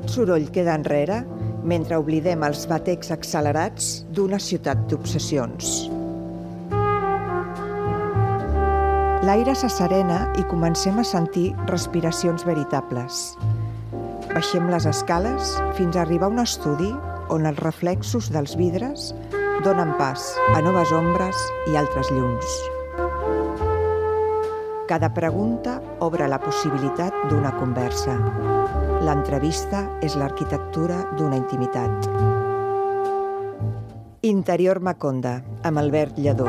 Tot soroll queda enrere mentre oblidem els batecs accelerats d'una ciutat d'obsessions. L'aire s'asserena i comencem a sentir respiracions veritables. Baixem les escales fins a arribar a un estudi on els reflexos dels vidres donen pas a noves ombres i altres llums. Cada pregunta obre la possibilitat d'una conversa. L'entrevista és l'arquitectura d'una intimitat. Interior Maconda, amb Albert Lledó.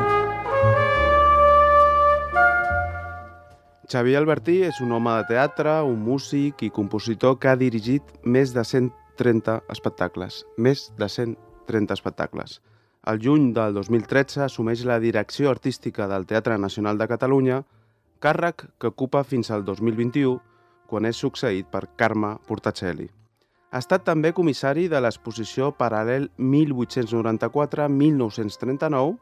Xavier Albertí és un home de teatre, un músic i compositor que ha dirigit més de 130 espectacles. Més de 130 espectacles. Al juny del 2013 assumeix la direcció artística del Teatre Nacional de Catalunya, càrrec que ocupa fins al 2021, quan és succeït per Carme Portacelli. Ha estat també comissari de l'exposició Paral·lel 1894-1939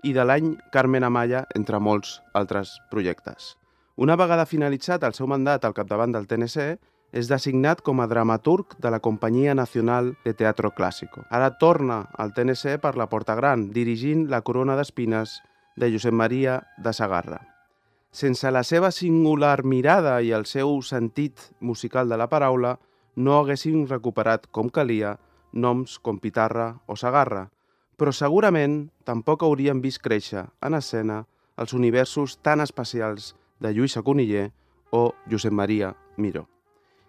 i de l'any Carmen Amaya, entre molts altres projectes. Una vegada finalitzat el seu mandat al capdavant del TNC, és designat com a dramaturg de la Companyia Nacional de Teatro Clásico. Ara torna al TNC per la Porta Gran, dirigint La Corona d'Espines de Josep Maria de Sagarra. Sense la seva singular mirada i el seu sentit musical de la paraula, no haguessin recuperat com calia noms com Pitarra o Sagarra, però segurament tampoc haurien vist créixer en escena els universos tan especials de Lluïsa Coniller o Josep Maria Miró.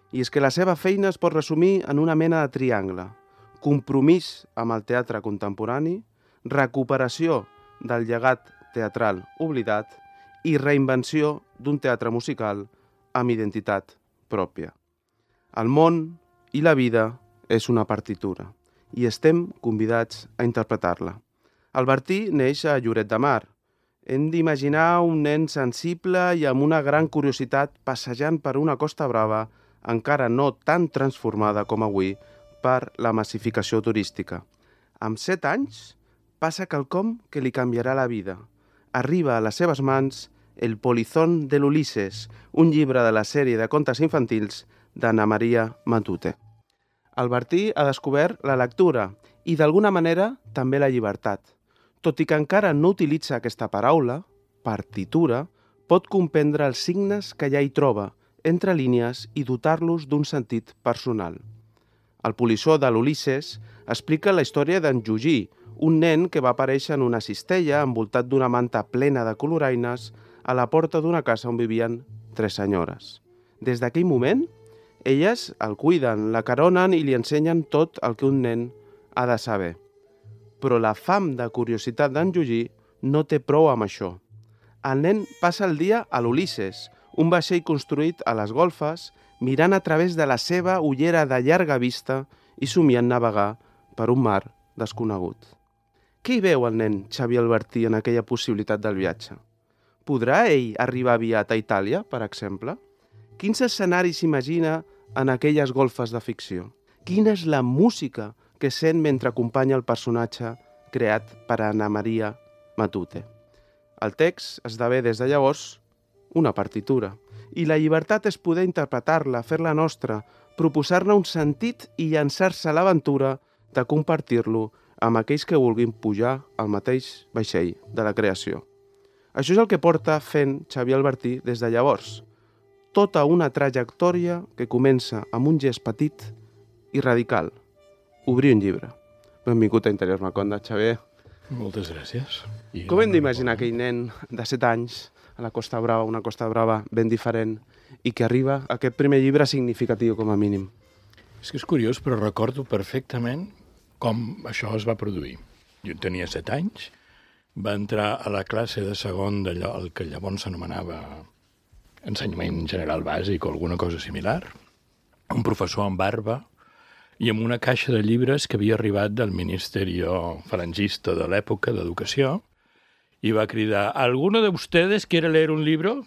I és que la seva feina es pot resumir en una mena de triangle: compromís amb el teatre contemporani, recuperació del llegat teatral oblidat i reinvenció d'un teatre musical amb identitat pròpia. El món i la vida és una partitura i estem convidats a interpretar-la. Albertí neix a Lloret de Mar. Hem d'imaginar un nen sensible i amb una gran curiositat passejant per una Costa Brava encara no tan transformada com avui per la massificació turística. Amb 7 anys passa quelcom que li canviarà la vida. Arriba a les seves mans El polizón de l'Ulisses, un llibre de la sèrie de contes infantils d'Anna Maria Matute. Albertí ha descobert la lectura i, d'alguna manera, també la llibertat. Tot i que encara no utilitza aquesta paraula, partitura, pot comprendre els signes que ja hi troba, entre línies, i dotar-los d'un sentit personal. El polissó de l'Ulisses explica la història d'en Jugí, un nen que va aparèixer en una cistella envoltat d'una manta plena de coloraines a la porta d'una casa on vivien 3 senyores. Des d'aquell moment, elles el cuiden, l'acaronen i li ensenyen tot el que un nen ha de saber. Però la fam de curiositat d'en Jugí no té prou amb això. El nen passa el dia a l'Ulisses, un vaixell construït a les golfes, mirant a través de la seva ullera de llarga vista i somiant navegar per un mar desconegut. Què hi veu el nen Xavier Albertí en aquella possibilitat del viatge? Podrà ell arribar aviat a Itàlia, per exemple? Quins escenaris s'imagina en aquelles golfes de ficció? Quina és la música que sent mentre acompanya el personatge creat per Anna Maria Matute? El text esdevé des de llavors una partitura, i la llibertat és poder interpretar-la, fer-la nostra, proposar-ne un sentit i llançar-se a l'aventura de compartir-lo amb aquells que vulguin pujar al mateix vaixell de la creació. Això és el que porta fent Xavier Albertí des de llavors. Tota una trajectòria que comença amb un gest petit i radical. Obrir un llibre. Benvingut a Interior Maconda, Xavier. Moltes gràcies. Com hem d'imaginar aquell nen de 7 anys a la Costa Brava, una Costa Brava ben diferent, i que arriba a aquest primer llibre significatiu com a mínim? És que és curiós, però recordo perfectament com això es va produir. Jo tenia 7 anys, va entrar a la classe de segon d'allò, el que llavors s'anomenava ensenyament general bàsic o alguna cosa similar, un professor amb barba i amb una caixa de llibres que havia arribat del Ministeri falangista de l'època d'Educació, i va cridar: ¿Alguno de ustedes quiere leer un libro?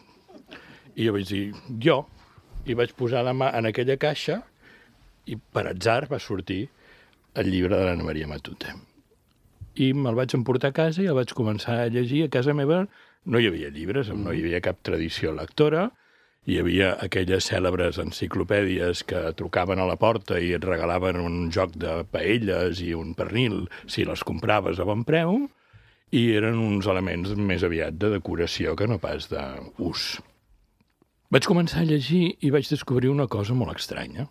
I jo vaig dir, jo. I vaig posar la mà en aquella caixa i per atzar va sortir el llibre de l'Anna Maria Matute. I me'l vaig emportar a casa i el vaig començar a llegir. A casa meva no hi havia llibres, no hi havia cap tradició lectora, Hi havia aquelles cèlebres enciclopèdies que trucaven a la porta i et regalaven un joc de paelles i un pernil si les compraves a bon preu, i eren uns elements més aviat de decoració que no pas d'ús. Vaig començar a llegir i vaig descobrir una cosa molt estranya,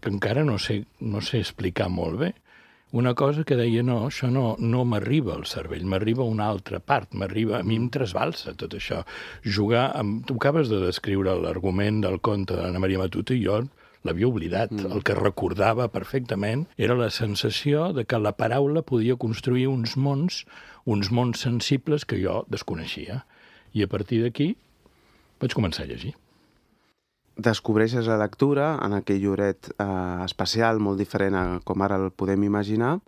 que encara no sé explicar molt bé. Una cosa que deia, no, això no m'arriba al cervell, m'arriba a una altra part, a mi em trasbalsa tot això. Tu acabes de descriure l'argument del conte d'Anna Maria Matute i jo l'havia oblidat. El que recordava perfectament era la sensació de que la paraula podia construir uns mons sensibles que jo desconeixia. I a partir d'aquí vaig començar a llegir. Descobreixes la lectura en aquell lloret especial, molt diferent a com ara el podem imaginar,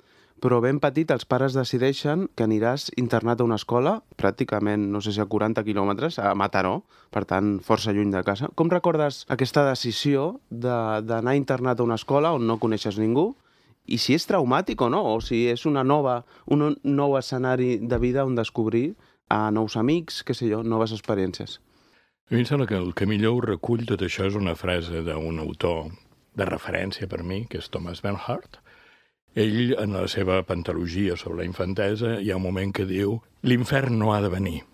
però ben petit els pares decideixen que aniràs internat a una escola, pràcticament, no sé si a 40 quilòmetres, a Mataró, per tant, força lluny de casa. Com recordes aquesta decisió d'anar internat a una escola on no coneixes ningú, i si és traumàtic o no, o si és un nou escenari de vida on descobrir nous amics, què sé jo, noves experiències? A mi em sembla que el que millor ho recull tot això és una frase d'un autor de referència per mi, que és Thomas Bernhardt. Ell, en la seva pentalogia sobre la infantesa, hi ha un moment que diu «L'infern no ha de venir,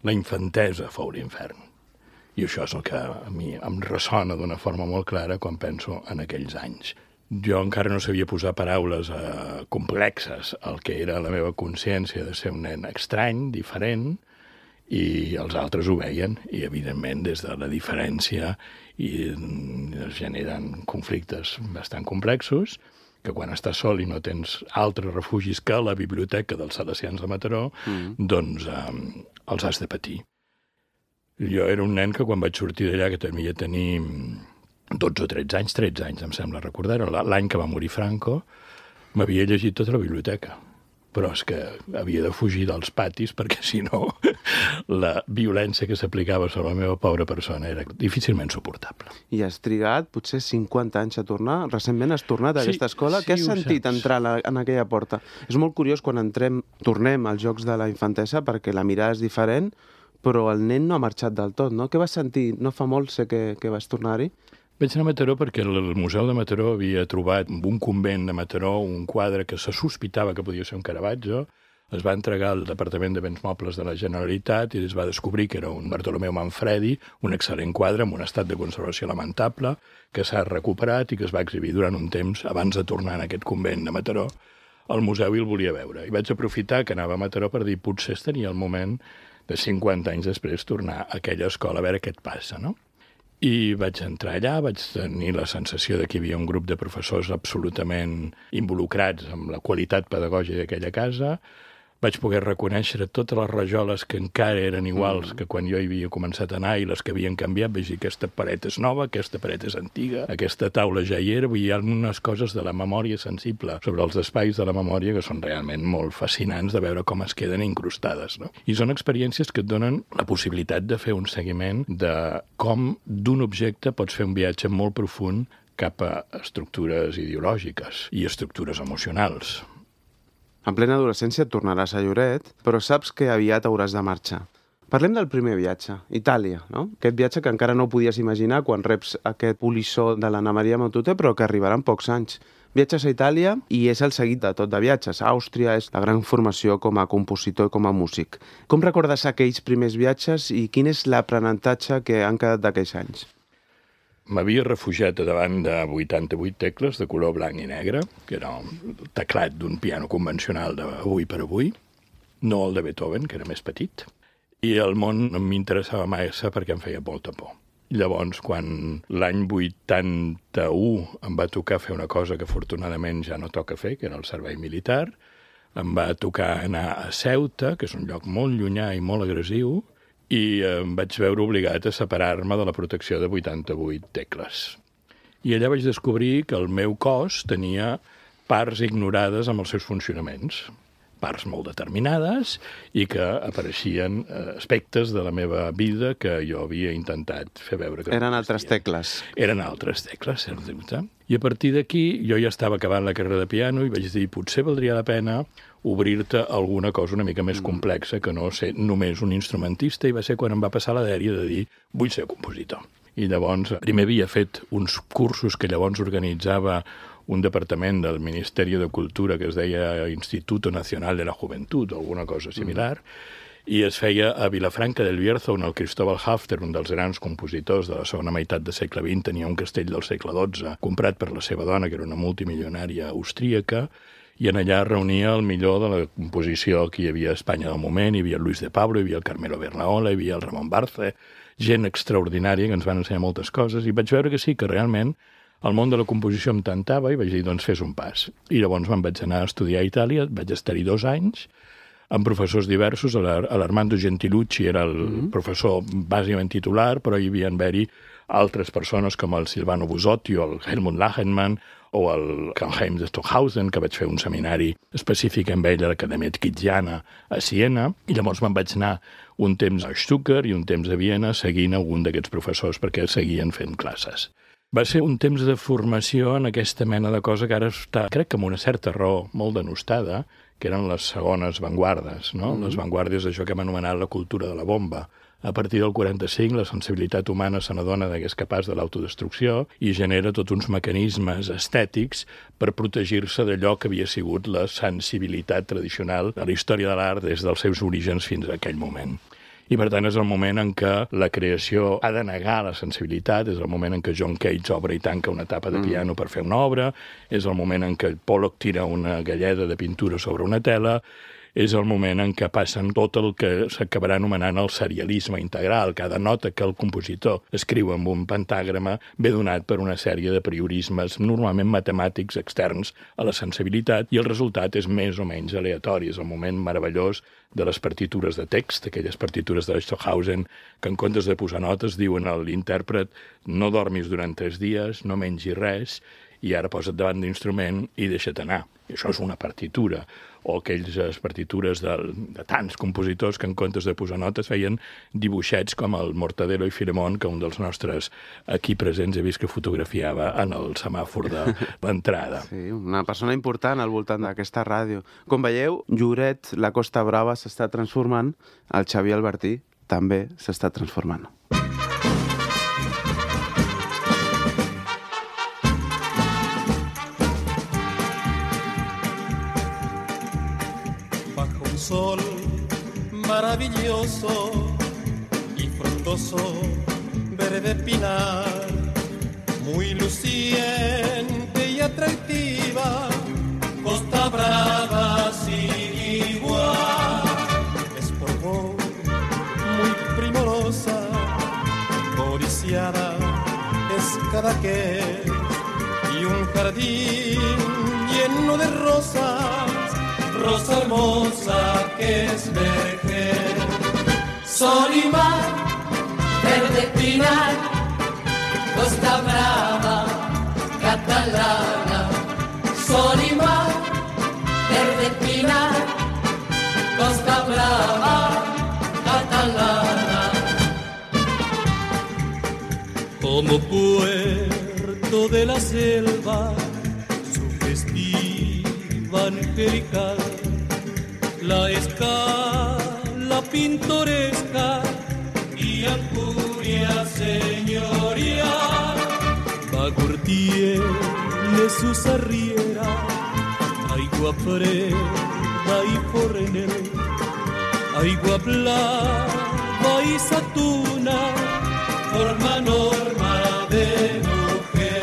la infantesa fou l'infern». I això és el que a mi em ressona d'una forma molt clara quan penso en aquells anys. Jo encara no sabia posar paraules complexes al que era la meva consciència de ser un nen estrany, diferent, i els altres ho veien, i evidentment des de la diferència es generen conflictes bastant complexos, que quan estàs sol i no tens altres refugis que la biblioteca dels Salesians de Mataró, doncs els has de patir. Jo era un nen que quan vaig sortir d'allà, que devia tenir 12 o 13 anys em sembla recordar, l'any que va morir Franco, m'havia llegit tota la biblioteca. Però és que havia de fugir dels patis perquè, si no, la violència que s'aplicava sobre la meva pobra persona era difícilment suportable. I has trigat potser 50 anys a tornar. Recentment has tornat a aquesta escola. Què has sentit entrar en aquella porta? És molt curiós quan tornem als Jocs de la Infantesa perquè la mirada és diferent, però el nen no ha marxat del tot, no? Què vas sentir? No fa molt sé que vas tornar-hi. Vaig anar a Mataró perquè el Museu de Mataró havia trobat en un convent de Mataró un quadre que se sospitava que podia ser un Caravaggio. Es va entregar al Departament de Béns Mobles de la Generalitat i es va descobrir que era un Bartolomeu Manfredi, un excel·lent quadre amb un estat de conservació lamentable, que s'ha recuperat i que es va exhibir durant un temps abans de tornar en aquest convent de Mataró al museu i el volia veure. I vaig aprofitar que anava a Mataró per dir potser tenia el moment de 50 anys després tornar a aquella escola a veure què et passa, no? I vaig entrar allà, vaig tenir la sensació que hi havia un grup de professors absolutament involucrats amb la qualitat pedagògica d'aquella casa. Vaig poder reconèixer totes les rajoles que encara eren iguals que quan jo hi havia començat a anar i les que havien canviat. Vaig dir, aquesta paret és nova, aquesta paret és antiga, aquesta taula ja hi era. Hi ha unes coses de la memòria sensible sobre els espais de la memòria que són realment molt fascinants de veure com es queden incrustades, no? I són experiències que et donen la possibilitat de fer un seguiment de com d'un objecte pots fer un viatge molt profund cap a estructures ideològiques i estructures emocionals. En plena adolescència et tornaràs a Lloret, però saps que aviat hauràs de marxar. Parlem del primer viatge, Itàlia, no? Aquest viatge que encara no podies imaginar quan reps aquest polissó de l'Anna Maria Matute, però que arribarà en pocs anys. Viatges a Itàlia i és el seguit de tot de viatges. Àustria és la gran formació com a compositor i com a músic. Com recordes aquells primers viatges i quin és l'aprenentatge que han quedat d'aquells anys? M'havia refugiat davant de 88 tecles de color blanc i negre, que era el teclat d'un piano convencional d'avui per avui, no el de Beethoven, que era més petit, i el món no m'interessava massa perquè em feia molta por. Llavors, quan l'any 81 em va tocar fer una cosa que afortunadament ja no toca fer, que era el servei militar, em va tocar anar a Ceuta, que és un lloc molt llunyà i molt agressiu, i em vaig veure obligat a separar-me de la protecció de 88 tecles. I allà vaig descobrir que el meu cos tenia parts ignorades amb els seus funcionaments, parts molt determinades i que apareixien aspectes de la meva vida que jo havia intentat fer veure que Eren altres tecles. Eren altres tecles, sens dubte. I a partir d'aquí jo ja estava acabant la carrera de piano i vaig dir, potser valdria la pena obrir-te alguna cosa una mica més complexa que no ser només un instrumentista, i va ser quan em va passar la dèria de dir, vull ser compositor. I llavors, primer havia fet uns cursos que llavors organitzava un departament del Ministeri de Cultura que es deia Instituto Nacional de la Juventud o alguna cosa similar, i es feia a Vilafranca del Bierzo, on el Cristóbal Hafter, un dels grans compositors de la segona meitat del segle XX, tenia un castell del segle XII comprat per la seva dona, que era una multimilionària austríaca, i en allà reunia el millor de la composició que hi havia a Espanya del moment. Hi havia el Luis de Pablo, hi havia el Carmelo Bernaola, hi havia el Ramon Barce, gent extraordinària que ens van ensenyar moltes coses, i vaig veure que sí, que realment el món de la composició em tentava, i vaig dir, doncs fes un pas. I llavors me'n vaig anar a estudiar a Itàlia, vaig estar-hi 2 anys, amb professors diversos. L'Armando Gentilucci era el professor bàsicament titular, però hi havia d'haver-hi altres persones com el Silvano Busotti o el Helmut Lachenmann o el Karl-Heinz de Stockhausen, que vaig fer un seminari específic amb ell a l'Acadèmia Tkitziana a Siena, i llavors me'n vaig anar un temps a Stuttgart i un temps a Viena seguint algun d'aquests professors perquè seguien fent classes. Va ser un temps de formació en aquesta mena de cosa que ara està, crec que amb una certa raó, molt denostada, que eren les segones vanguardes, no? Les vanguardes d'això que hem anomenat la cultura de la bomba. A partir del 45, la sensibilitat humana se n'adona que és capaç de l'autodestrucció i genera tots uns mecanismes estètics per protegir-se d'allò que havia sigut la sensibilitat tradicional de la història de l'art des dels seus orígens fins a aquell moment. I, per tant, és el moment en què la creació ha de negar la sensibilitat, és el moment en què John Cage obre i tanca una tapa de piano per fer una obra, és el moment en què Pollock tira una galleda de pintura sobre una tela, és el moment en què passen tot el que s'acabarà anomenant el serialisme integral. Cada nota que el compositor escriu amb un pentagrama ve donat per una sèrie de priorismes normalment matemàtics externs a la sensibilitat, i el resultat és més o menys aleatori. És el moment meravellós de les partitures de text, aquelles partitures de Stockhausen, que en comptes de posar notes diuen a l'intèrpret no dormis durant 3 dies, no mengis res, i ara posa't davant d'instrument i deixa't anar. I això és una partitura. O aquelles partitures de tants compositors que en comptes de posar notes feien dibuixets com el Mortadelo i Filemón, que un dels nostres aquí presents he vist que fotografiava en el semàfor de l'entrada. Sí, una persona important al voltant d'aquesta ràdio. Com veieu, Lloret, la Costa Brava s'està transformant, el Xavier Albertí també s'està transformant. Sol maravilloso y frondoso, verde pinar, muy luciente y atractiva, Costa Brava sin igual. Es por vos muy primorosa, codiciada es cada que, y un jardín lleno de rosas, rosa hermosa que es vergel. Sol y mar, verde pinar, Costa Brava, catalana. Sol y mar, verde pinar, Costa Brava, catalana. Como puerto de la selva, sugestiva angelical, la escala pintoresca y ancuria señorial, Bagur tiene sus arrieras, aigua freda y fornel, aigua blava y satuna, forma norma de mujer.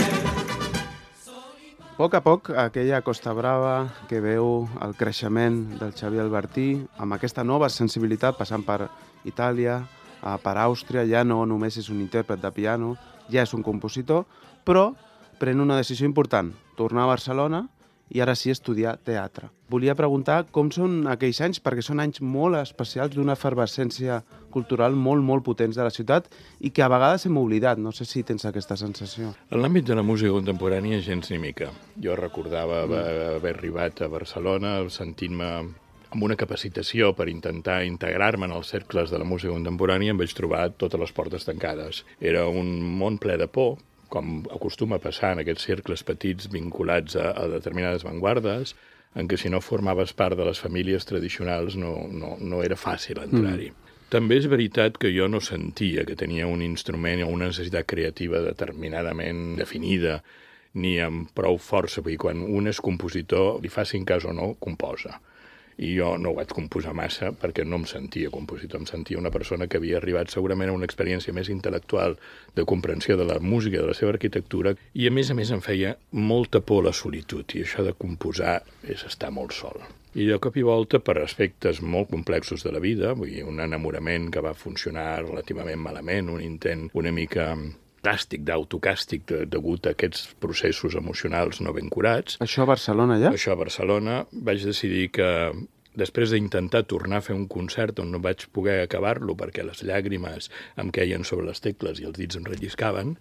A poc, aquella Costa Brava que veu el creixement del Xavier Albertí, amb aquesta nova sensibilitat passant per Itàlia, per Àustria, ja no només és un intèrpret de piano, ja és un compositor, però pren una decisió important, tornar a Barcelona i ara sí estudiar teatre. Volia preguntar com són aquells anys, perquè són anys molt especials d'una efervescència cultural molt potents de la ciutat i que a vegades hem oblidat. No sé si tens aquesta sensació. En l'àmbit de la música contemporània, gens ni mica. Jo recordava haver arribat a Barcelona sentint-me amb una capacitació per intentar integrar-me en els cercles de la música contemporània, em vaig trobar totes les portes tancades. Era un món ple de por, com acostuma a passar en aquests cercles petits vinculats a determinades avantguardes, en què si no formaves part de les famílies tradicionals no era fàcil entrar-hi. També és veritat que jo no sentia que tenia un instrument o una necessitat creativa determinadament definida, ni amb prou força, perquè quan un és compositor, li facin cas o no, composa. I jo no ho vaig composar massa perquè no em sentia compositor, em sentia una persona que havia arribat segurament a una experiència més intel·lectual de comprensió de la música, de la seva arquitectura, i a més em feia molta por la solitud, i això de composar és estar molt sol. I de cop i volta, per aspectes molt complexos de la vida, vull dir, un enamorament que va funcionar relativament malament, un intent una mica d'autocàstig degut a aquests processos emocionals no ben curats. Això a Barcelona ja? Això a Barcelona. Vaig decidir que després d'intentar tornar a fer un concert on no vaig poder acabar-lo perquè les llàgrimes em queien sobre les tecles i els dits em relliscaven,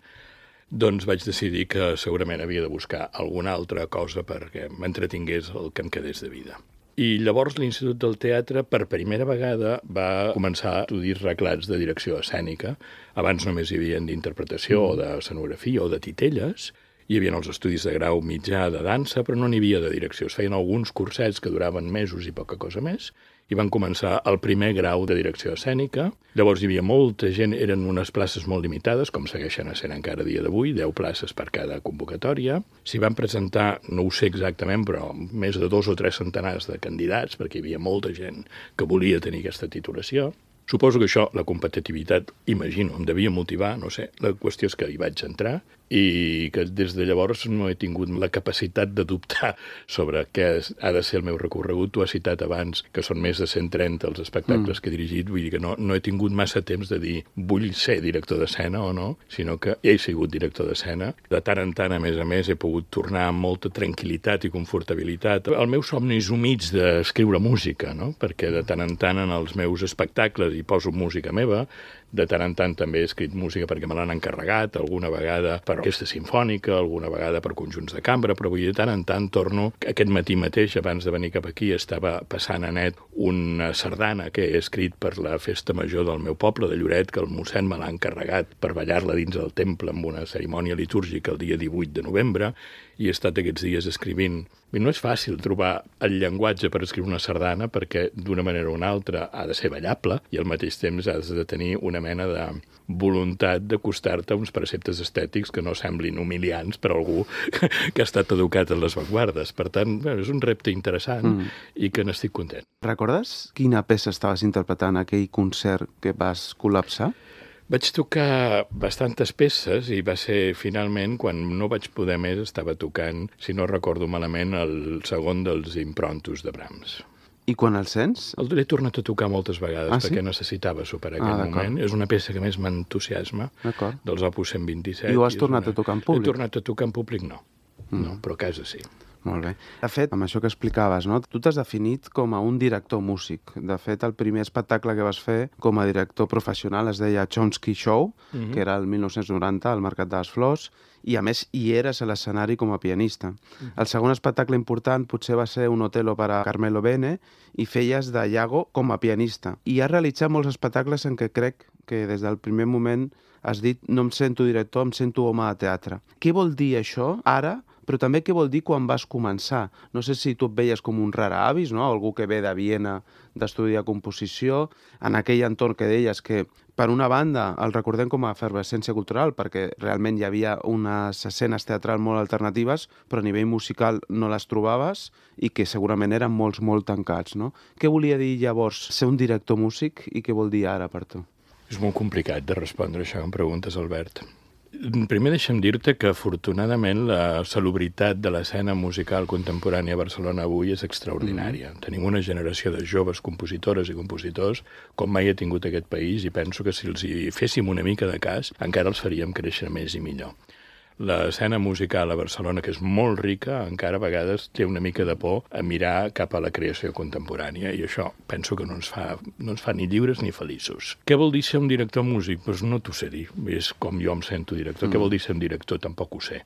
doncs vaig decidir que segurament havia de buscar alguna altra cosa perquè m'entretingués el que em quedés de vida. I llavors l'Institut del Teatre, per primera vegada, va començar a estudiar reglats de direcció escènica. Abans només hi havia d'interpretació o d'escenografia o de titelles. Hi havia els estudis de grau mitjà de dansa, però no n'hi havia de direcció. Es feien alguns cursets que duraven mesos i poca cosa més, i van començar el primer grau de direcció escènica. Llavors hi havia molta gent, eren unes places molt limitades, com segueixen sent encara a dia d'avui, 10 places per cada convocatòria. S'hi van presentar, no ho sé exactament, però més de 2 o 3 centenars de candidats, perquè hi havia molta gent que volia tenir aquesta titulació. Suposo que això, la competitivitat, imagino, em devia motivar, no sé. La qüestió és que hi vaig entrar i que des de llavors no he tingut la capacitat de dubtar sobre què ha de ser el meu recorregut. Tu has citat abans que són més de 130 els espectacles que he dirigit, vull dir que no he tingut massa temps de dir vull ser director d'escena o no, sinó que he sigut director d'escena. De tant en tant, a més, he pogut tornar amb molta tranquil·litat i confortabilitat. El meu somni és humits d'escriure música, no? Perquè de tant en tant en els meus espectacles hi poso música meva, de tant en tant també he escrit música perquè me l'han encarregat, alguna vegada per orquestra simfònica, alguna vegada per conjunts de cambra, però vull dir, de tant en tant torno. Aquest matí mateix, abans de venir cap aquí, estava passant a net una sardana que he escrit per la festa major del meu poble, de Lloret, que el mossèn me l'ha encarregat per ballar-la dins del temple amb una cerimònia litúrgica el dia 18 de novembre, i he estat aquests dies escrivint. No és fàcil trobar el llenguatge per escriure una sardana perquè d'una manera o una altra ha de ser ballable i al mateix temps has de tenir una mena de voluntat d'acostar-te a uns preceptes estètics que no semblin humiliants per algú que ha estat educat en les avantguardes. Per tant, és un repte interessant i que n'estic content. Recordes quina peça estaves interpretant aquell concert que vas col·lapsar? Vaig tocar bastantes peces i va ser finalment, quan no vaig poder més, estava tocant, si no recordo malament, el segon dels improntos de Brahms. I quan el sents? L'he tornat a tocar moltes vegades perquè necessitava superar aquest moment. És una peça que més m'entusiasma, dels Opus 127. I ho has tornat a tocar en públic? He tornat a tocar en públic, no, però a casa sí. Molt bé. De fet, amb això que explicaves, no? Tu t'has definit com a un director músic. De fet, el primer espectacle que vas fer com a director professional es deia Chomsky Show, que era el 1990 al Mercat de les Flors, i a més hi eres a l'escenari com a pianista. El segon espectacle important potser va ser un Otello per a Carmelo Bene i feies de Iago com a pianista. I has realitzat molts espectacles en què crec que des del primer moment has dit no em sento director, em sento home de teatre. Què vol dir això ara? Però també què vol dir quan vas començar? No sé si tu et veies com un rara avis, no? Algú que ve de Viena d'estudiar composició, en aquell entorn que deies que, per una banda, el recordem com a efervescència cultural, perquè realment hi havia unes escenes teatrals molt alternatives, però a nivell musical no les trobaves i que segurament eren molt tancats, no? Què volia dir llavors ser un director músic i què vol dir ara per tu? És molt complicat de respondre això que em preguntes, Albert. Primer deixa'm dir-te que, afortunadament, la salubritat de l'escena musical contemporània a Barcelona avui és extraordinària. Tenim una generació de joves compositores i compositors com mai ha tingut aquest país i penso que si els hi féssim una mica de cas encara els faríem créixer més i millor. L'escena musical a Barcelona, que és molt rica, encara a vegades té una mica de por a mirar cap a la creació contemporània i això penso que no ens fa ni lliures ni feliços. Què vol dir ser un director músic? Doncs no t'ho sé dir, és com jo em sento director. Què vol dir ser un director? Tampoc ho sé.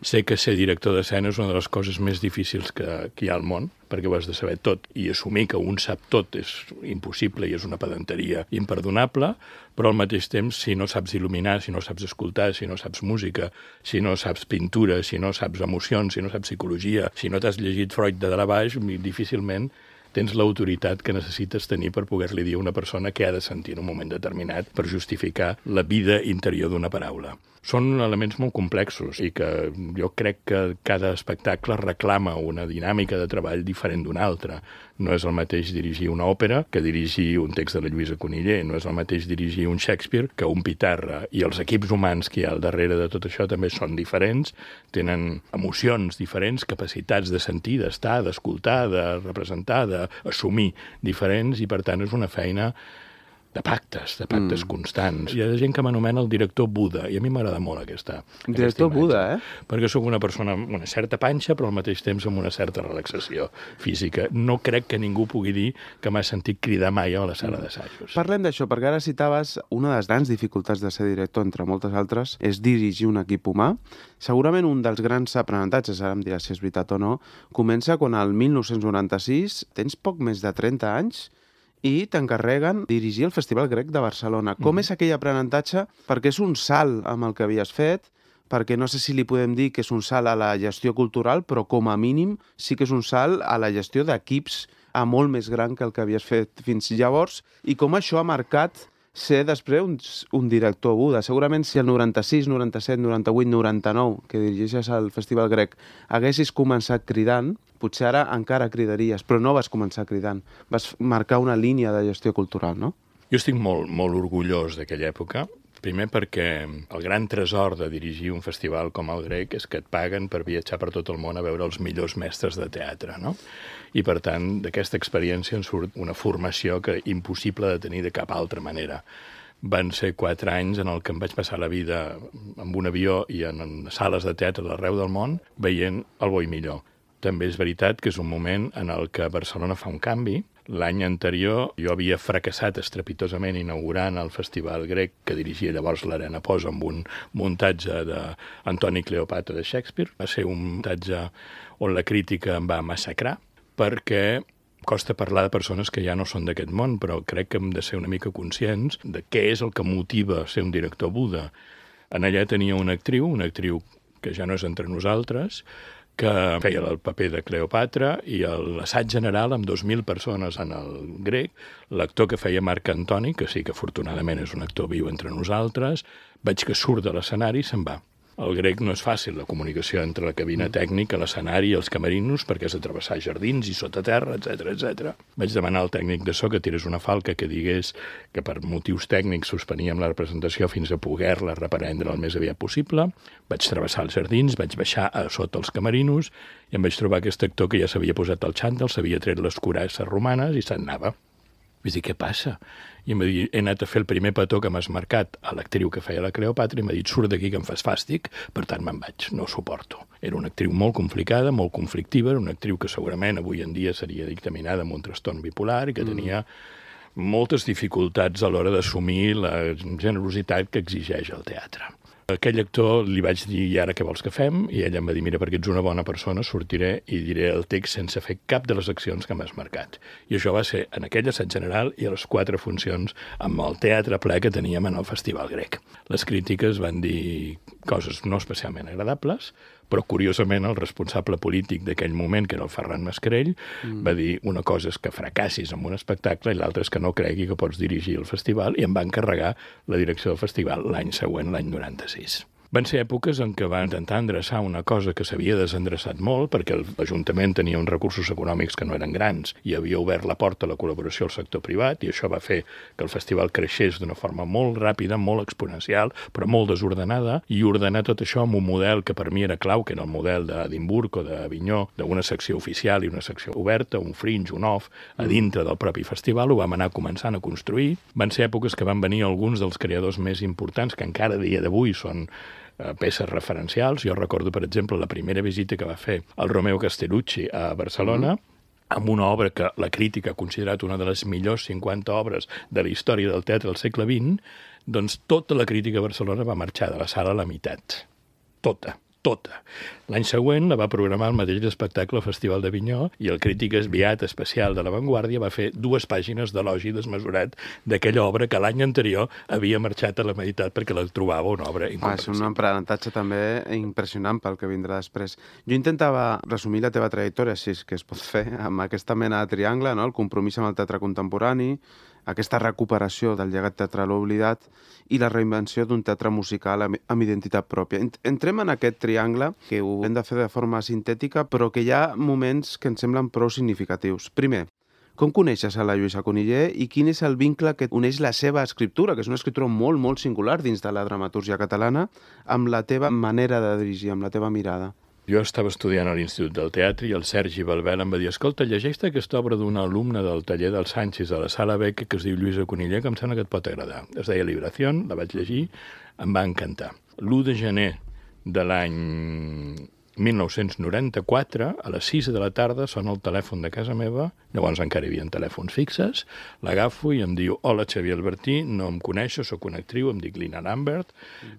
Sé que ser director d'escena és una de les coses més difícils que hi ha al món, perquè ho has de saber tot, i assumir que un sap tot és impossible i és una pedanteria imperdonable, però al mateix temps, si no saps il·luminar, si no saps escoltar, si no saps música, si no saps pintura, si no saps emocions, si no saps psicologia, si no t'has llegit Freud de dalt a baix, difícilment tens l'autoritat que necessites tenir per poder-li dir a una persona què ha de sentir en un moment determinat per justificar la vida interior d'una paraula. Són elements molt complexos i que jo crec que cada espectacle reclama una dinàmica de treball diferent d'una altra. No és el mateix dirigir una òpera que dirigir un text de la Lluïsa Coniller, no és el mateix dirigir un Shakespeare que un Pitarra, i els equips humans que hi ha al darrere de tot això també són diferents, tenen emocions diferents, capacitats de sentir, d'estar, d'escoltar, de representar, d'assumir diferents, i per tant és una feina de pactes constants. Hi ha gent que m'anomena el director Buda, i a mi m'agrada molt aquesta Director imatge. Buda, Perquè sóc una persona amb una certa panxa, però al mateix temps amb una certa relaxació física. No crec que ningú pugui dir que m'ha sentit cridar mai a la sala d'assajos. Parlem d'això, perquè ara citaves una de les grans dificultats de ser director, entre moltes altres, és dirigir un equip humà. Segurament un dels grans aprenentatges, ara em diràs si és veritat o no, comença quan el 1996 tens poc més de 30 anys i t'encarreguen dirigir el Festival Grec de Barcelona. Com és aquell aprenentatge? Perquè és un salt amb el que havies fet, perquè no sé si li podem dir que és un salt a la gestió cultural, però com a mínim sí que és un salt a la gestió d'equips a molt més gran que el que havies fet fins llavors, i com això ha marcat ser després un director Buda. Segurament si el 96, 97, 98, 99, que dirigeixes al Festival Grec, haguessis començat cridant, potser ara encara cridaries, però no vas començar cridant. Vas marcar una línia de gestió cultural, no? Jo estic molt orgullós d'aquella època, primer perquè el gran tresor de dirigir un festival com el Grec és que et paguen per viatjar per tot el món a veure els millors mestres de teatre, no? I, per tant, d'aquesta experiència en surt una formació que impossible de tenir de cap altra manera. Van ser 4 anys en el que em vaig passar la vida amb un avió i en sales de teatre d'arreu del món veient el bo i millor. També és veritat que és un moment en el que Barcelona fa un canvi. L'any anterior jo havia fracassat estrepitosament inaugurant el Festival Grec que dirigia llavors l'Arena Posa amb un muntatge d'Antoni Cleopatra de Shakespeare. Va ser un muntatge on la crítica em va massacrar perquè costa parlar de persones que ja no són d'aquest món, però crec que hem de ser una mica conscients de què és el que motiva ser un director Buda. En allà tenia una actriu que ja no és entre nosaltres, que feia el paper de Cleopatra, i l'assaig general amb 2.000 persones en el Grec, l'actor que feia Marc Antoni, que sí que afortunadament és un actor viu entre nosaltres, veig que surt de l'escenari i se'n va. El Grec no és fàcil, la comunicació entre la cabina tècnica, l'escenari i els camerinos, perquè has de travessar jardins i sota terra, etc. Vaig demanar al tècnic de so que tirés una falca que digués que per motius tècnics suspeníem la representació fins a poder-la reprendre el més aviat possible. Vaig travessar els jardins, vaig baixar a sota els camerinos i em vaig trobar aquest actor que ja s'havia posat el xantel, s'havia tret les cuirasses romanes i se'n anava. Vaig dir, què passa? I em va dir, he anat a fer el primer petó que m'has marcat a l'actriu que feia la Cleopatra i m'ha dit, surt d'aquí que em fas fàstic, per tant me'n vaig, no ho suporto. Era una actriu molt complicada, molt conflictiva, era una actriu que segurament avui en dia seria dictaminada amb un trastorn bipolar i que tenia moltes dificultats a l'hora d'assumir la generositat que exigeix el teatre. Aquell actor li vaig dir, i ara què vols que fem? I ella em va dir, mira, perquè ets una bona persona, sortiré i diré el text sense fer cap de les accions que m'has marcat. I això va ser en aquell assaig general i a les 4 funcions amb el teatre ple que teníem en el Festival Grec. Les crítiques van dir coses no especialment agradables, però curiosament el responsable polític d'aquell moment, que era el Ferran Mascarell, va dir una cosa és que fracassis amb un espectacle i l'altra és que no cregui que pots dirigir el festival, i em va encarregar la direcció del festival l'any següent, l'any 96. Van ser èpoques en què va intentar endreçar una cosa que s'havia desendreçat molt, perquè l'Ajuntament tenia uns recursos econòmics que no eren grans i havia obert la porta a la col·laboració al sector privat, i això va fer que el festival creixés d'una forma molt ràpida, molt exponencial, però molt desordenada, i ordenar tot això amb un model que per mi era clau, que era el model d'Edimburg o d'Avinyó, d'una secció oficial i una secció oberta, un fringe, un off, a dintre del propi festival. Ho vam anar començant a construir. Van ser èpoques que van venir alguns dels creadors més importants, que encara a dia d'avui són peces referencials. Jo recordo, per exemple, la primera visita que va fer el Romeo Castellucci a Barcelona, amb una obra que la crítica ha considerat una de les millors 50 obres de la història del teatre del segle XX, doncs tota la crítica a Barcelona va marxar de la sala a la meitat. Tota. tota. L'any següent la va programar el mateix espectacle al Festival d'Avinyó i el crític enviat especial de La Vanguardia va fer 2 pàgines d'elogi desmesurat d'aquella obra que l'any anterior havia marxat a la meitat perquè la trobava una obra incomprensible. És un aprenentatge també impressionant pel que vindrà després. Jo intentava resumir la teva trajectòria, si és que es pot fer, amb aquesta mena de triangle, no? El compromís amb el teatre contemporani, aquesta recuperació del llegat teatral oblidat i la reinvenció d'un teatre musical amb identitat pròpia. Entrem en aquest triangle, que ho hem de fer de forma sintètica, però que hi ha moments que ens semblen prou significatius. Primer, com coneixes a la Lluïsa Cunillé i quin és el vincle que uneix la seva escriptura, que és una escriptura molt, molt singular dins de la dramatúrgia catalana, amb la teva manera de dirigir, amb la teva mirada? Jo estava estudiant a l'Institut del Teatre i el Sergi Balbel em va dir: escolta, llegeix aquesta obra d'una alumna del taller del Sánchez a la Sala Beca que es diu Lluïsa Cunillé, que em sembla que et pot agradar. Es deia Liberación, la vaig llegir, em va encantar. L'1 de gener de l'any 1994, a les 6 de la tarda, sona el telèfon de casa meva, llavors encara hi havia telèfons fixes, l'agafo i em diu: hola, Xavier Albertí, no em coneixo, sóc una actriu, em dic Lina Lambert,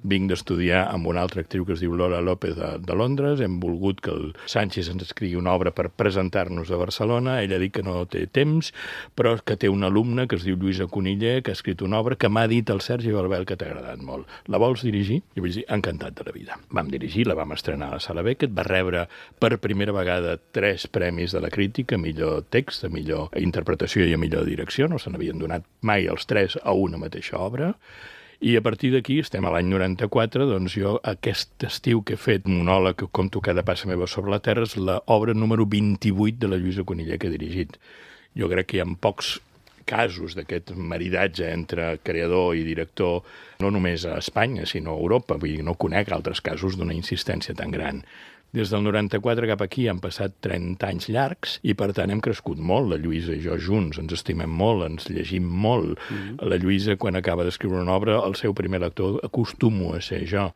vinc d'estudiar amb una altra actriu que es diu Lola López de Londres, hem volgut que el Sánchez ens escrigui una obra per presentar-nos a Barcelona, ella ha dit que no té temps, però que té una alumna que es diu Lluïsa Cunillé, que ha escrit una obra que m'ha dit el Sergi Balbel que t'ha agradat molt. La vols dirigir? I vaig dir, encantat de la vida. Vam dirigir, la vam estrenar a la Sala Beca, va rebre per primera vegada 3 premis de la crítica, millor text, a millor interpretació i a millor direcció, no se n'havien donat mai els 3 a una mateixa obra, i a partir d'aquí, estem a l'any 94, doncs jo aquest estiu que he fet monòleg que conto cada passa meva sobre la terra és l'obra número 28 de la Lluïsa Cunillé que he dirigit. Jo crec que hi ha pocs casos d'aquest maridatge entre creador i director, no només a Espanya, sinó a Europa. Vull dir, no conec altres casos d'una insistència tan gran. Des del 94 cap aquí han passat 30 anys llargs i, per tant, hem crescut molt, la Lluïsa i jo junts. Ens estimem molt, ens llegim molt. La Lluïsa, quan acaba d'escriure una obra, el seu primer lector acostumo a ser jo.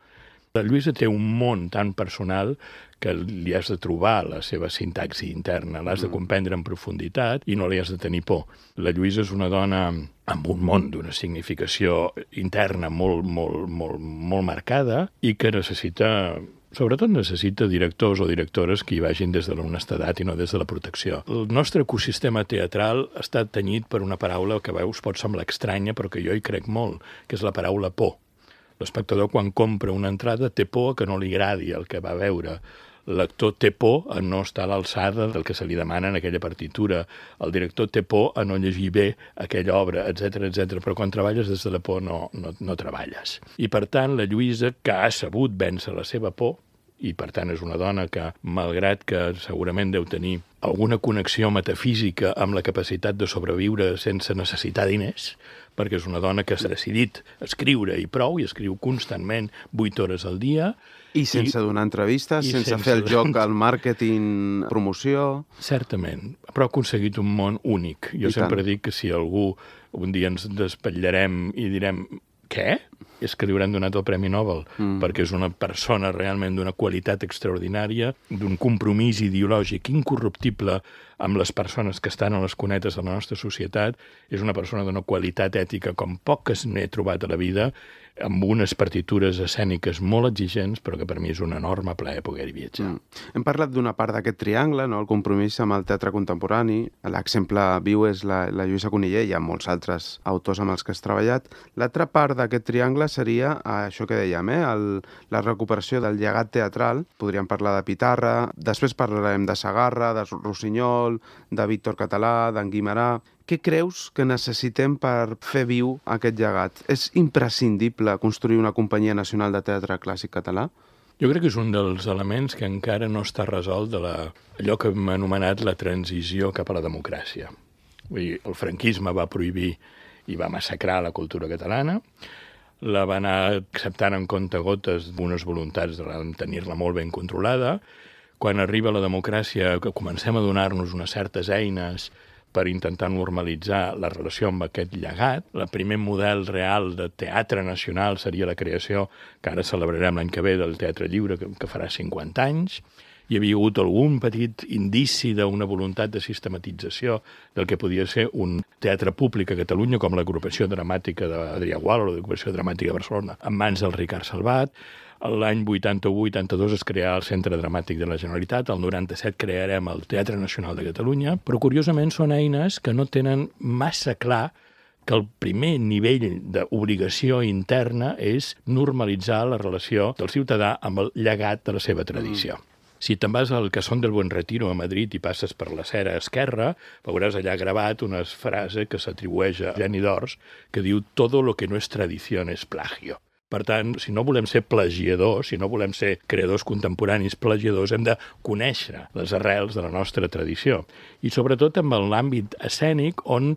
La Lluïsa té un món tan personal que li has de trobar la seva sintaxi interna, l'has de comprendre en profunditat i no li has de tenir por. La Lluïsa és una dona amb un món d'una significació interna molt marcada i que sobretot necessita directors o directores que hi vagin des de l'honestedat i no des de la protecció. El nostre ecosistema teatral està tenyit per una paraula que a veus pot semblar estranya però que jo hi crec molt, que és la paraula por. L'espectador, quan compra una entrada, té por que no li agradi el que va veure. L'actor té por a no estar a l'alçada del que se li demana en aquella partitura. El director té por a no llegir bé aquella obra, etc. Però quan treballes des de la por no treballes. I, per tant, la Lluïsa, que ha sabut vèncer la seva por, i per tant és una dona que, malgrat que segurament deu tenir alguna connexió metafísica amb la capacitat de sobreviure sense necessitar diners, perquè és una dona que s'ha decidit escriure i prou, i escriu constantment 8 hores al dia. I sense donar entrevistes, sense fer el joc al màrqueting, promoció... Certament, però ha aconseguit un món únic. Jo sempre dic que si algú un dia ens despatllarem i direm què? És que li hauran donat el Premi Nobel, perquè és una persona realment d'una qualitat extraordinària, d'un compromís ideològic incorruptible amb les persones que estan a les cunetes de la nostra societat, és una persona d'una qualitat ètica com poques n'he trobat a la vida, amb unes partitures escèniques molt exigents, però que per mi és un enorme plaer poder-hi viatjar. Hem parlat d'una part d'aquest triangle, no? El compromís amb el teatre contemporani. L'exemple viu és la Lluïsa Cunillé, hi ha molts altres autors amb els que has treballat. L'altra part d'aquest triangle seria això que dèiem, la recuperació del llegat teatral. Podríem parlar de Pitarra, després parlarem de Segarra, de Rossinyol, de Víctor Català, d'en Guimerà. Què creus que necessitem per fer viu aquest llegat? És imprescindible construir una companyia nacional de teatre clàssic català? Jo crec que és un dels elements que encara no està resolt de allò que hem anomenat la transició cap a la democràcia. Vull dir, el franquisme va prohibir i va massacrar la cultura catalana, la va anar acceptant en comptagotes d'unes voluntats de tenir-la molt ben controlada. Quan arriba la democràcia, que comencem a donar-nos unes certes eines per intentar normalitzar la relació amb aquest llegat. El primer model real de teatre nacional seria la creació, que ara celebrarem l'any que ve, del Teatre Lliure, que farà 50 anys, hi havia hagut algun petit indici d'una voluntat de sistematització del que podia ser un teatre públic a Catalunya, com l'agrupació dramàtica d'Adrià Gual o l'agrupació dramàtica de Barcelona, en mans del Ricard Salvat. L'any 81-82 es creà el Centre Dramàtic de la Generalitat, el 97 crearem el Teatre Nacional de Catalunya, però curiosament són eines que no tenen massa clar que el primer nivell d'obligació interna és normalitzar la relació del ciutadà amb el llegat de la seva tradició. Si te'n vas al Casón del Buen Retiro a Madrid i passes per la Cera Esquerra, veuràs allà gravat una frase que s'atribueix a Geni d'Ors que diu «Todo lo que no es tradición es plagio». Per tant, si no volem ser plagiadors, si no volem ser creadors contemporanis plagiadors, hem de conèixer les arrels de la nostra tradició. I sobretot en l'àmbit escènic on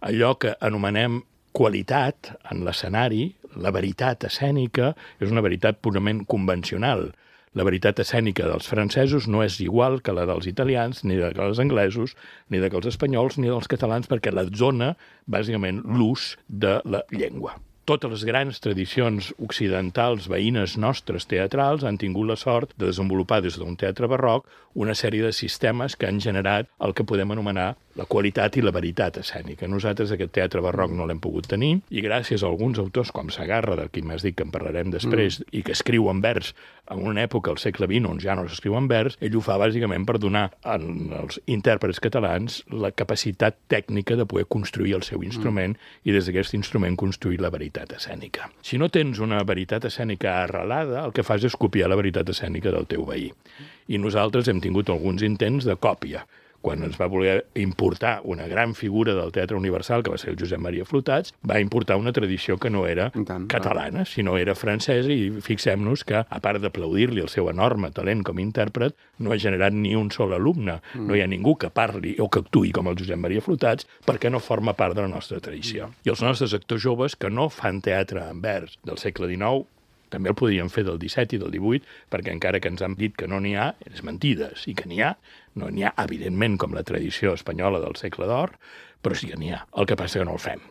allò que anomenem qualitat en l'escenari, la veritat escènica, és una veritat purament convencional. La veritat escènica dels francesos no és igual que la dels italians, ni de dels anglesos, ni de dels espanyols, ni dels catalans, perquè la zona, bàsicament, l'ús de la llengua. Totes les grans tradicions occidentals veïnes nostres teatrals han tingut la sort de desenvolupar des d'un teatre barroc una sèrie de sistemes que han generat el que podem anomenar la qualitat i la veritat escènica. Nosaltres aquest teatre barroc no l'hem pogut tenir i gràcies a alguns autors com Sagarra, del qui m'has dit que en parlarem després, i que escriu en vers en una època, al segle XX, on ja no s'escriu en vers, ell ho fa bàsicament per donar als intèrprets catalans la capacitat tècnica de poder construir el seu instrument i des d'aquest instrument construir la veritat escènica. Si no tens una veritat escènica arrelada, el que fas és copiar la veritat escènica del teu veí. I nosaltres hem tingut alguns intents de còpia. Quan ens va voler importar una gran figura del Teatre Universal, que va ser el Josep Maria Flotats, va importar una tradició que no era catalana, sinó era francesa, i fixem-nos que, a part d'aplaudir-li el seu enorme talent com a intèrpret, no ha generat ni un sol alumne. No hi ha ningú que parli o que actuï com el Josep Maria Flotats perquè no forma part de la nostra tradició. I els nostres actors joves que no fan teatre en vers del segle XIX també el podríem fer del 17 i del 18, perquè encara que ens han dit que no n'hi ha, és mentides, i que n'hi ha. No n'hi ha, evidentment, com la tradició espanyola del segle d'or, però sí que n'hi ha. El que passa que no el fem.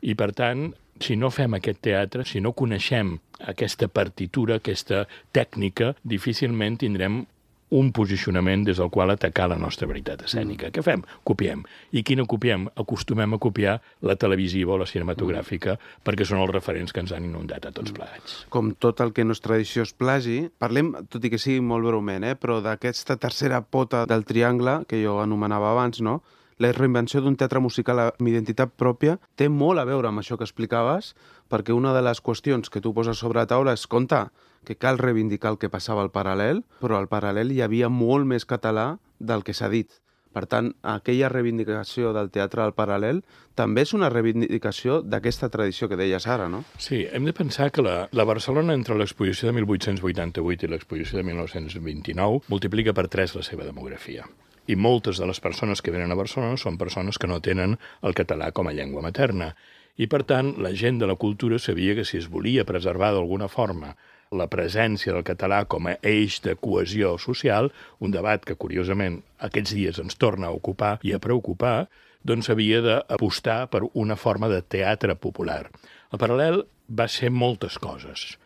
I, per tant, si no fem aquest teatre, si no coneixem aquesta partitura, aquesta tècnica, difícilment tindrem un posicionament des del qual atacar la nostra veritat escènica. Què fem? Copiem. I quina copiem? Acostumem a copiar la televisiva o la cinematogràfica perquè són els referents que ens han inundat a tots plegats. Com tot el que no és tradició és plagi, parlem, tot i que sigui molt breument, però d'aquesta tercera pota del triangle que jo anomenava abans, no? La reinvenció d'un teatre musical amb identitat pròpia té molt a veure amb això que explicaves, perquè una de les qüestions que tu poses sobre la taula és, compte, que cal reivindicar el que passava al Paral·lel, però al Paral·lel hi havia molt més català del que s'ha dit. Per tant, aquella reivindicació del teatre al Paral·lel també és una reivindicació d'aquesta tradició que deies ara, no? Sí, hem de pensar que la Barcelona, entre l'exposició de 1888 i l'exposició de 1929, multiplica per 3 la seva demografia. I moltes de les persones que venen a Barcelona són persones que no tenen el català com a llengua materna. I, per tant, la gent de la cultura sabia que si es volia preservar d'alguna forma la presència del català com a eix de cohesió social, un debat que, curiosament, aquests dies ens torna a ocupar i a preocupar, doncs havia d'apostar per una forma de teatre popular. El Paral·lel va ser moltes coses,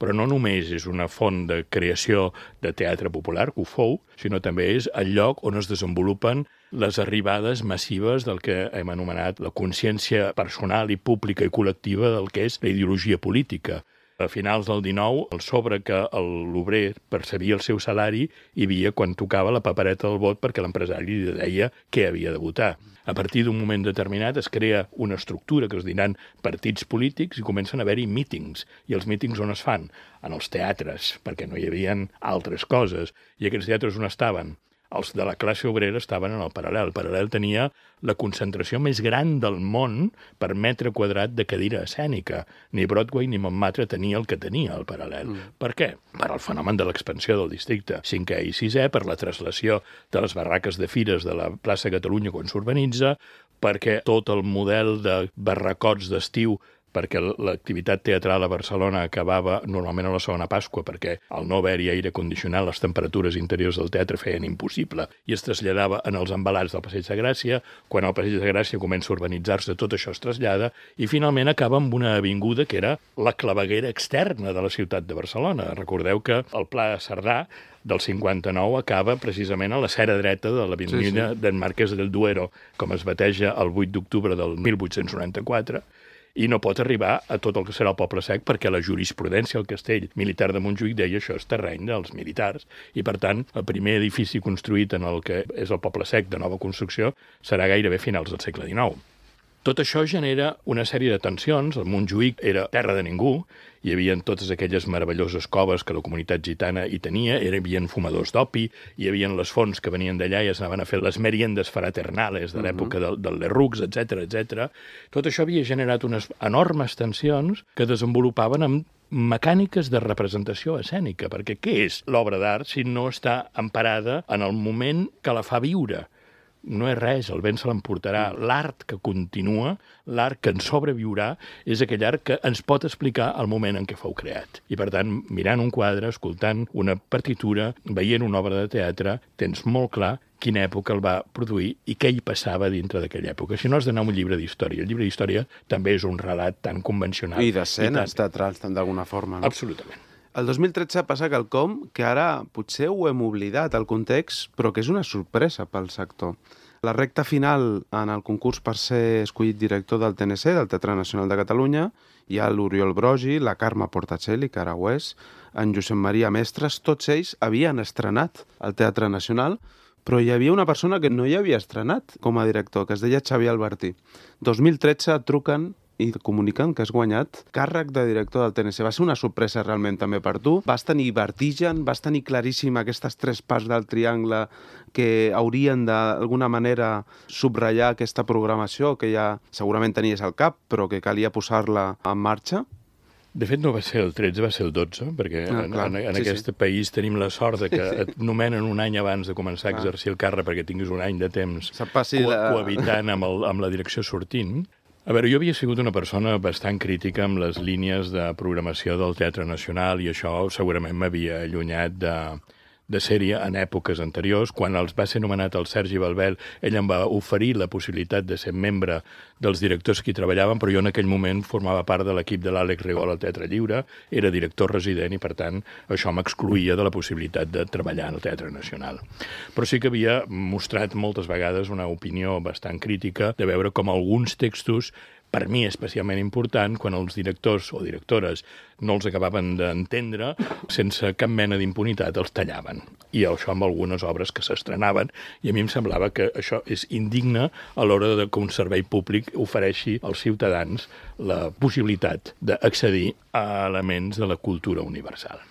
però no només és una font de creació de teatre popular, que ho fou, sinó també és el lloc on es desenvolupen les arribades massives del que hem anomenat la consciència personal i pública i col·lectiva del que és la ideologia política. A finals del 19, el sobre que l'obrer percebia el seu salari hi havia quan tocava la papereta del vot perquè l'empresari li deia què havia de votar. A partir d'un moment determinat es crea una estructura que es diran partits polítics i comencen a haver-hi mítings. I els mítings on es fan? En els teatres, perquè no hi havia altres coses. I aquests teatres on estaven? Els de la classe obrera estaven en el Paral·lel. El Paral·lel tenia la concentració més gran del món per metre quadrat de cadira escènica. Ni Broadway ni Montmartre tenia el que tenia el Paral·lel. Per què? Per al fenomen de l'expansió del districte 5è i 6è, per la traslació de les barraques de fires de la plaça Catalunya quan s'urbanitza, perquè tot el model de barracots d'estiu perquè l'activitat teatral a Barcelona acabava normalment a la segona Pasqua, perquè al no haver-hi aire condicionat les temperatures interiors del teatre feien impossible i es traslladava en els embalats del Passeig de Gràcia. Quan el Passeig de Gràcia comença a urbanitzar-se, tot això es trasllada i finalment acaba amb una avinguda que era la claveguera externa de la ciutat de Barcelona. Recordeu que el Pla Cerdà del 59 acaba precisament a la cera dreta de l'avinguda d'en Marquès del Duero, com es bateja el 8 d'octubre del 1894, i no pot arribar a tot el que serà el Poble Sec perquè la jurisprudència al castell militar de Montjuïc deia això és terreny dels militars i, per tant, el primer edifici construït en el que és el Poble Sec de nova construcció serà gairebé finals del segle XIX. Tot això genera una sèrie de tensions. El Montjuïc era terra de ningú, hi havia totes aquelles meravelloses coves que la comunitat gitana hi tenia, hi havia fumadors d'opi, hi havia les fonts que venien d'allà i es anaven a fer les meriendes fraternales de l'època del Lerroux, etc. Tot això havia generat unes enormes tensions que desenvolupaven amb mecàniques de representació escènica, perquè què és l'obra d'art si no està emparada en el moment que la fa viure? No és res, el vent se l'emportarà. L'art que continua, l'art que ens sobreviurà, és aquell art que ens pot explicar el moment en què fou creat. I, per tant, mirant un quadre, escoltant una partitura, veient una obra de teatre, tens molt clar quina època el va produir i què hi passava dintre d'aquella època. Si no, has d'anar a un llibre d'història. El llibre d'història també és un relat tan convencional. I d'escenes teatrals, d'alguna forma, no? Absolutament. El 2013 passa quelcom que ara potser ho hem oblidat, el context, però que és una sorpresa pel sector. La recta final en el concurs per ser escollit director del TNC, del Teatre Nacional de Catalunya, hi ha l'Oriol Brogi, la Carme Portacelli, Caraués, en Josep Maria Mestres, tots ells havien estrenat al Teatre Nacional, però hi havia una persona que no hi havia estrenat com a director, que es deia Xavier Albertí. 2013 truquen i comuniquen que has guanyat càrrec de director del TNC. Va ser una sorpresa realment també per tu. Vas tenir vertigen, vas tenir claríssim aquestes 3 parts del triangle que haurien d'alguna manera subratllar aquesta programació que ja segurament tenies al cap, però que calia posar-la en marxa? De fet, no va ser el 13, va ser el 12, perquè en aquest país tenim la sort de que et nomenen un any abans de començar a exercir el càrrec perquè tinguis un any de temps cohabitant amb la direcció sortint. A veure, jo havia sigut una persona bastant crítica amb les línies de programació del Teatre Nacional i això segurament m'havia allunyat de sèrie en èpoques anteriors. Quan els va ser nomenat el Sergi Balbel, ell em va oferir la possibilitat de ser membre dels directors que hi treballaven, però jo en aquell moment formava part de l'equip de l'Àlex Rigol al Teatre Lliure, era director resident i, per tant, això m'excloïa de la possibilitat de treballar en el Teatre Nacional. Però sí que havia mostrat moltes vegades una opinió bastant crítica de veure com alguns textos, per mi especialment important, quan els directors o directores no els acabaven d'entendre, sense cap mena d'impunitat els tallaven. I això amb algunes obres que s'estrenaven, i a mi em semblava que això és indigne a l'hora que un servei públic ofereixi als ciutadans la possibilitat d'accedir a elements de la cultura universal.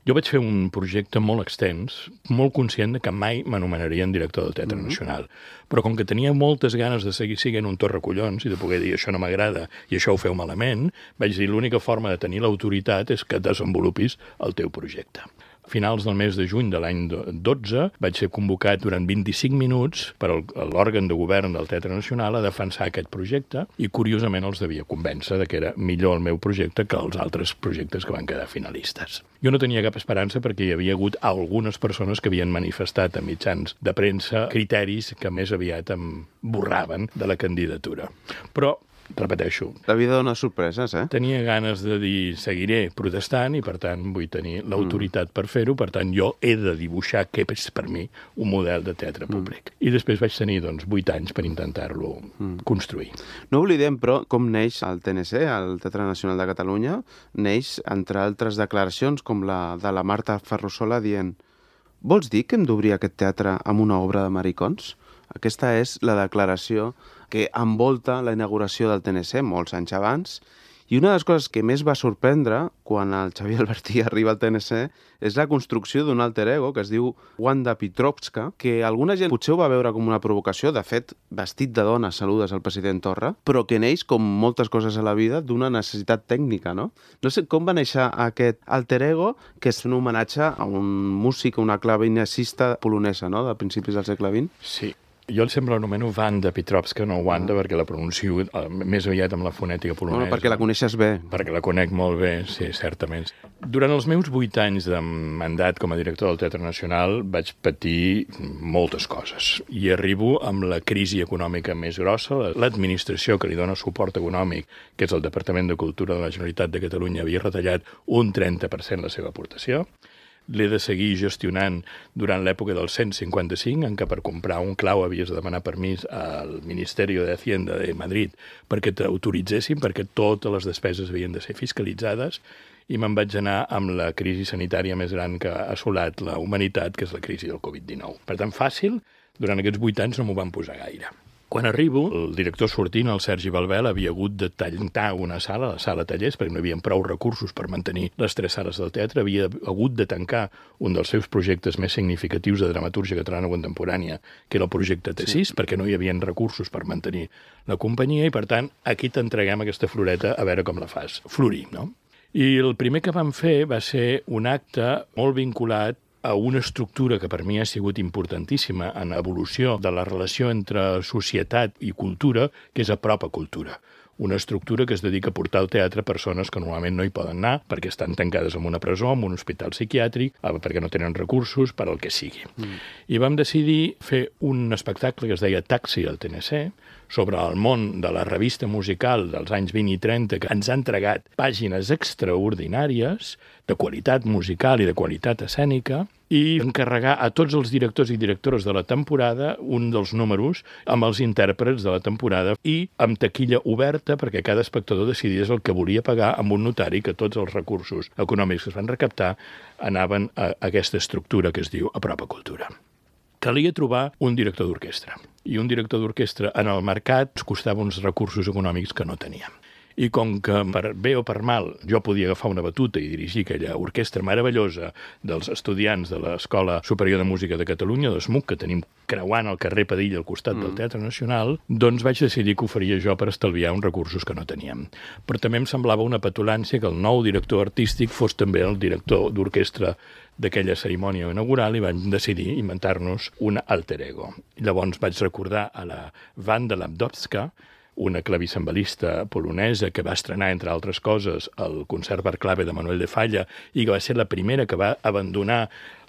Jo vaig fer un projecte molt extens, molt conscient de que mai m'anomenarien director del Teatre Nacional, però com que tenia moltes ganes de seguir sent un torracollons i de poder dir això no m'agrada i això ho feu malament, vaig dir l'única forma de tenir l'autoritat és que desenvolupis el teu projecte. A finals del mes de juny de l'any 12 vaig ser convocat durant 25 minuts per l'òrgan de govern del Teatre Nacional a defensar aquest projecte i curiosament els devia convèncer de que era millor el meu projecte que els altres projectes que van quedar finalistes. Jo no tenia cap esperança perquè hi havia hagut algunes persones que havien manifestat a mitjans de premsa criteris que més aviat em borraven de la candidatura. Però repeteixo. La vida dona sorpreses, eh? Tenia ganes de dir, seguiré protestant i, per tant, vull tenir l'autoritat per fer-ho. Per tant, jo he de dibuixar què és per mi un model de teatre públic. I després vaig tenir, 8 anys per intentar-lo construir. No oblidem, però, com neix el TNC, el Teatre Nacional de Catalunya, neix, entre altres declaracions, com la de la Marta Ferrusola dient «Vols dir que hem d'obrir aquest teatre amb una obra de maricons?» Aquesta és la declaració que envolta la inauguració del TNC molts anys abans. I una de les coses que més va sorprendre quan el Xavier Albertí arriba al TNC és la construcció d'un alter ego que es diu Wanda Petrovska, que alguna gent potser ho va veure com una provocació, de fet, vestit de dona saludes al president Torra, però que neix, com moltes coses a la vida, d'una necessitat tècnica, no? No sé com va néixer aquest alter ego, que és un homenatge a un músic, una clavecinista polonesa, no?, de principis del segle XX. Sí. Jo sempre l'anomeno Wanda Petrovska, no Wanda, perquè la pronuncio més aviat amb la fonètica polonesa. No, perquè la coneixes bé. Perquè la conec molt bé, sí, certament. Durant els meus 8 anys de mandat com a director del Teatre Nacional vaig patir moltes coses. I arribo amb la crisi econòmica més grossa. L'administració que li dona suport econòmic, que és el Departament de Cultura de la Generalitat de Catalunya, havia retallat un 30% la seva aportació. L'he de seguir gestionant durant l'època del 155, en què per comprar un clau havies de demanar permís al Ministeri de Hacienda de Madrid perquè t'autoritzessin, perquè totes les despeses havien de ser fiscalitzades, i me'n vaig anar amb la crisi sanitària més gran que ha assolat la humanitat, que és la crisi del Covid-19. Per tant, fàcil, durant aquests 8 anys no m'ho van posar gaire. Quan arribo, el director sortint, el Sergi Balbel, havia hagut de tancar una sala, la sala tallers, perquè no hi havia prou recursos per mantenir les 3 sales del teatre, havia hagut de tancar un dels seus projectes més significatius de dramatúrgia catalana contemporània, que era el projecte T6, perquè no hi havia recursos per mantenir la companyia, i per tant, aquí t'entreguem aquesta floreta a veure com la fas florir, no? I el primer que vam fer va ser un acte molt vinculat a una estructura que per mi ha sigut importantíssima en l'evolució de la relació entre societat i cultura, que és Apropa Cultura. Una estructura que es dedica a portar al teatre persones que normalment no hi poden anar perquè estan tancades en una presó, en un hospital psiquiàtric, perquè no tenen recursos, per al que sigui. I vam decidir fer un espectacle que es deia Taxi al TNC, sobre el món de la revista musical dels anys 20 i 30, que ens ha entregat pàgines extraordinàries de qualitat musical i de qualitat escènica, i encarregar a tots els directors i directores de la temporada un dels números amb els intèrprets de la temporada i amb taquilla oberta perquè cada espectador decidís el que volia pagar amb un notari, que tots els recursos econòmics que es van recaptar anaven a aquesta estructura que es diu Apropa Cultura. Calia trobar un director d'orquestra. I un director d'orquestra en el mercat ens costava uns recursos econòmics que no teníem. I com que, per bé o per mal, jo podia agafar una batuta i dirigir aquella orquestra meravellosa dels estudiants de l'Escola Superior de Música de Catalunya, d'ESMUC, que tenim creuant el carrer Padilla al costat del Teatre Nacional, doncs vaig decidir que ho faria jo per estalviar uns recursos que no teníem. Però també em semblava una petulància que el nou director artístic fos també el director d'orquestra d'aquella cerimònia inaugural, i vam decidir inventar-nos un alter ego. Llavors vaig recordar a la Wanda Lapdowska, una clavicembalista polonesa que va estrenar, entre altres coses, el concert per clave de Manuel de Falla i que va ser la primera que va abandonar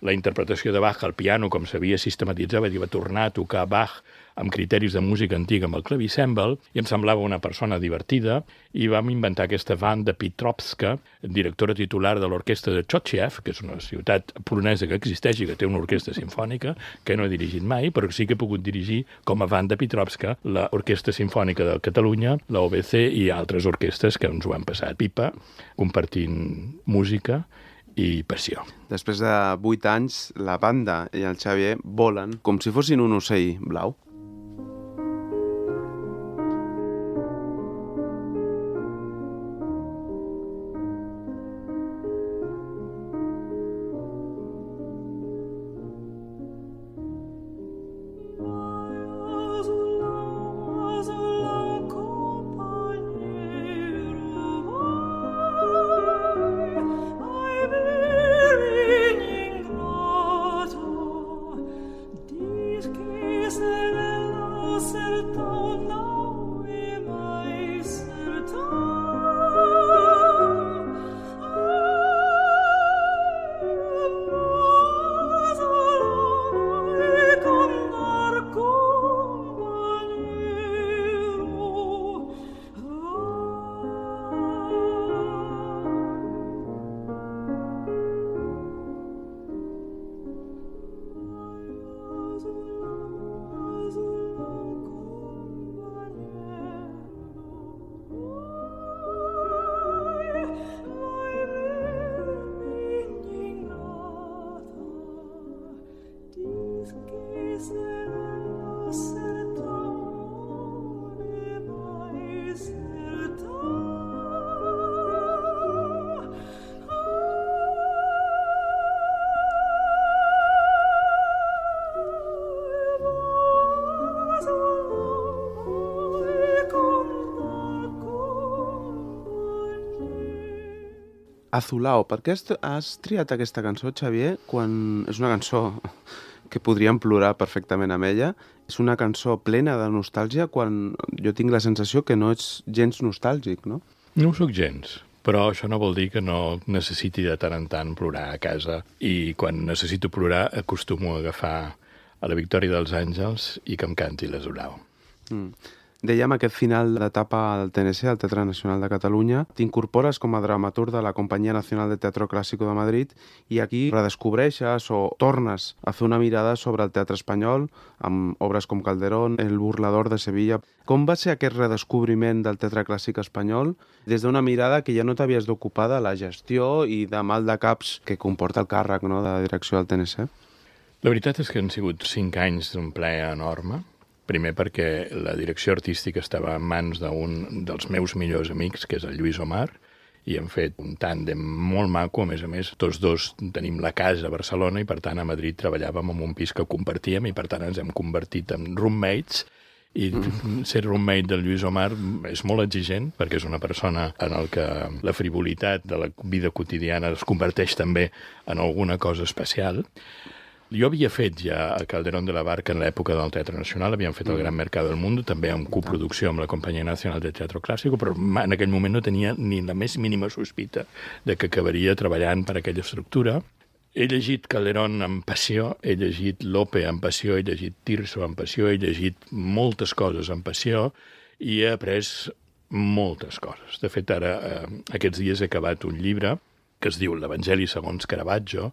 la interpretació de Bach al piano com s'havia sistematitzat i va tornar a tocar Bach amb criteris de música antiga amb el clavicèmbal, i em semblava una persona divertida, i vam inventar aquesta Wanda Petrovska, directora titular de l'orquestra de Chociew, que és una ciutat polonesa que existeix i que té una orquestra simfònica, que no he dirigit mai, però sí que he pogut dirigir com a Wanda Petrovska l'Orquestra Simfònica de Catalunya, la OBC i altres orquestres que ens ho han passat pipa, compartint música i passió. Després de 8 anys, la Wanda i el Xavier volen com si fossin un ocell blau. Azulao, per què has triat aquesta cançó, Xavier, quan és una cançó que podríem plorar perfectament amb ella. És una cançó plena de nostàlgia quan jo tinc la sensació que no ets gens nostàlgic, no? No ho soc gens, però això no vol dir que no necessiti de tant en tant plorar a casa. I quan necessito plorar acostumo a agafar a la Victòria dels Àngels i que em canti l'Esorau. Dèiem, aquest final d'etapa al TNC, al Teatre Nacional de Catalunya, t'incorpores com a dramaturg de la Companyia Nacional de Teatro Clásico de Madrid i aquí redescobreixes o tornes a fer una mirada sobre el teatre espanyol amb obres com Calderón, El burlador de Sevilla. Com va ser aquest redescobriment del teatre clàssic espanyol des d'una mirada que ja no t'havies d'ocupar de la gestió i de mal de caps que comporta el càrrec, no?, de direcció del TNC? La veritat és que han sigut 5 anys d'un plaer enorme. Primer perquè la direcció artística estava en mans d'un dels meus millors amics, que és el Lluís Omar, i hem fet un tàndem molt maco. A més, tots dos tenim la casa a Barcelona i, per tant, a Madrid treballàvem en un pis que compartíem i, per tant, ens hem convertit en roommates. I ser roommate del Lluís Omar és molt exigent perquè és una persona en el que la frivolitat de la vida quotidiana es converteix també en alguna cosa especial. Jo havia fet ja a Calderón de la Barca en l'època del Teatre Nacional, havíem fet el Gran Mercado del Mundo, també en coproducció amb la Companyia Nacional de Teatro Clásico, però en aquell moment no tenia ni la més mínima sospita de que acabaria treballant per aquella estructura. He llegit Calderón amb passió, he llegit Lope amb passió, he llegit Tirso amb passió, he llegit moltes coses amb passió i he après moltes coses. De fet, ara, aquests dies he acabat un llibre que es diu L'Evangeli segons Caravaggio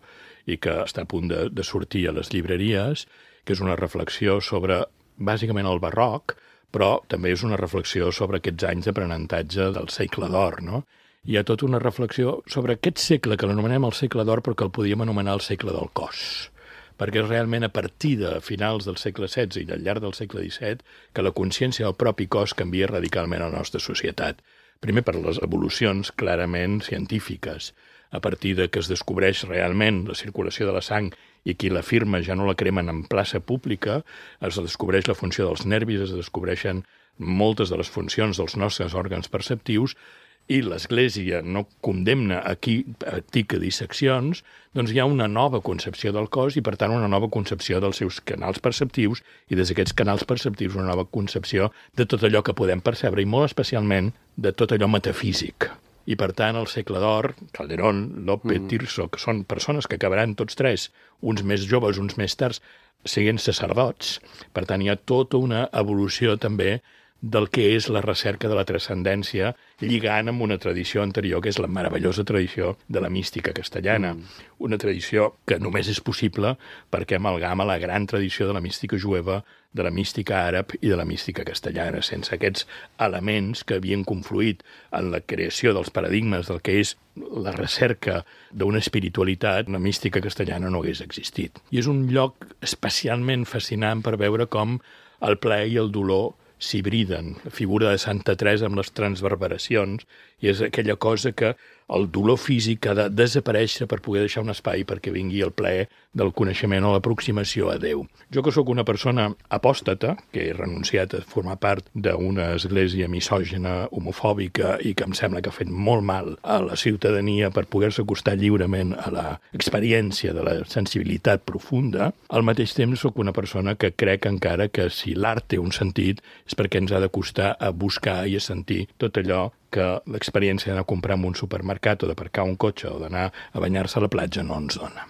i que està a punt de sortir a les llibreries, que és una reflexió sobre, bàsicament, el barroc, però també és una reflexió sobre aquests anys d'aprenentatge del segle d'or, no? Hi ha tota una reflexió sobre aquest segle, que l'anomenem el segle d'or, però que el podíem anomenar el segle del cos, perquè és realment a partir de finals del segle XVI i al llarg del segle XVII que la consciència del propi cos canvia radicalment a la nostra societat. Primer per les evolucions clarament científiques, a partir de que es descobreix realment la circulació de la sang i qui l'afirma ja no la cremen en plaça pública, es descobreix la funció dels nervis, es descobreixen moltes de les funcions dels nostres òrgans perceptius i l'Església no condemna a qui practica disseccions, doncs hi ha una nova concepció del cos i, per tant, una nova concepció dels seus canals perceptius i des d'aquests canals perceptius una nova concepció de tot allò que podem percebre i molt especialment de tot allò metafísic. I, per tant, el segle d'or, Calderón, Lope, Tirso, que són persones que acabaran tots tres, uns més joves, uns més tards, siguent sacerdots. Per tant, hi ha tota una evolució també del que és la recerca de la transcendència, lligant amb una tradició anterior, que és la meravellosa tradició de la mística castellana. Una tradició que només és possible perquè amalgama la gran tradició de la mística jueva, de la mística àrab i de la mística castellana. Sense aquests elements que havien confluït en la creació dels paradigmes del que és la recerca d'una espiritualitat, la mística castellana no hagués existit. I és un lloc especialment fascinant per veure com el plaer i el dolor s'hibriden. La figura de Santa Teresa amb les transverberacions i és aquella cosa que el dolor físic ha de desaparèixer per poder deixar un espai perquè vingui el plaer del coneixement o l'aproximació a Déu. Jo que sóc una persona apòstata, que he renunciat a formar part d'una església misògina, homofòbica i que em sembla que ha fet molt mal a la ciutadania per poder-se acostar lliurement a l'experiència de la sensibilitat profunda, al mateix temps sóc una persona que crec encara que si l'art té un sentit és perquè ens ha d'acostar a buscar i a sentir tot allò que l'experiència d'anar a comprar en un supermercat o d'aparcar un cotxe o d'anar a banyar-se a la platja no ens dona.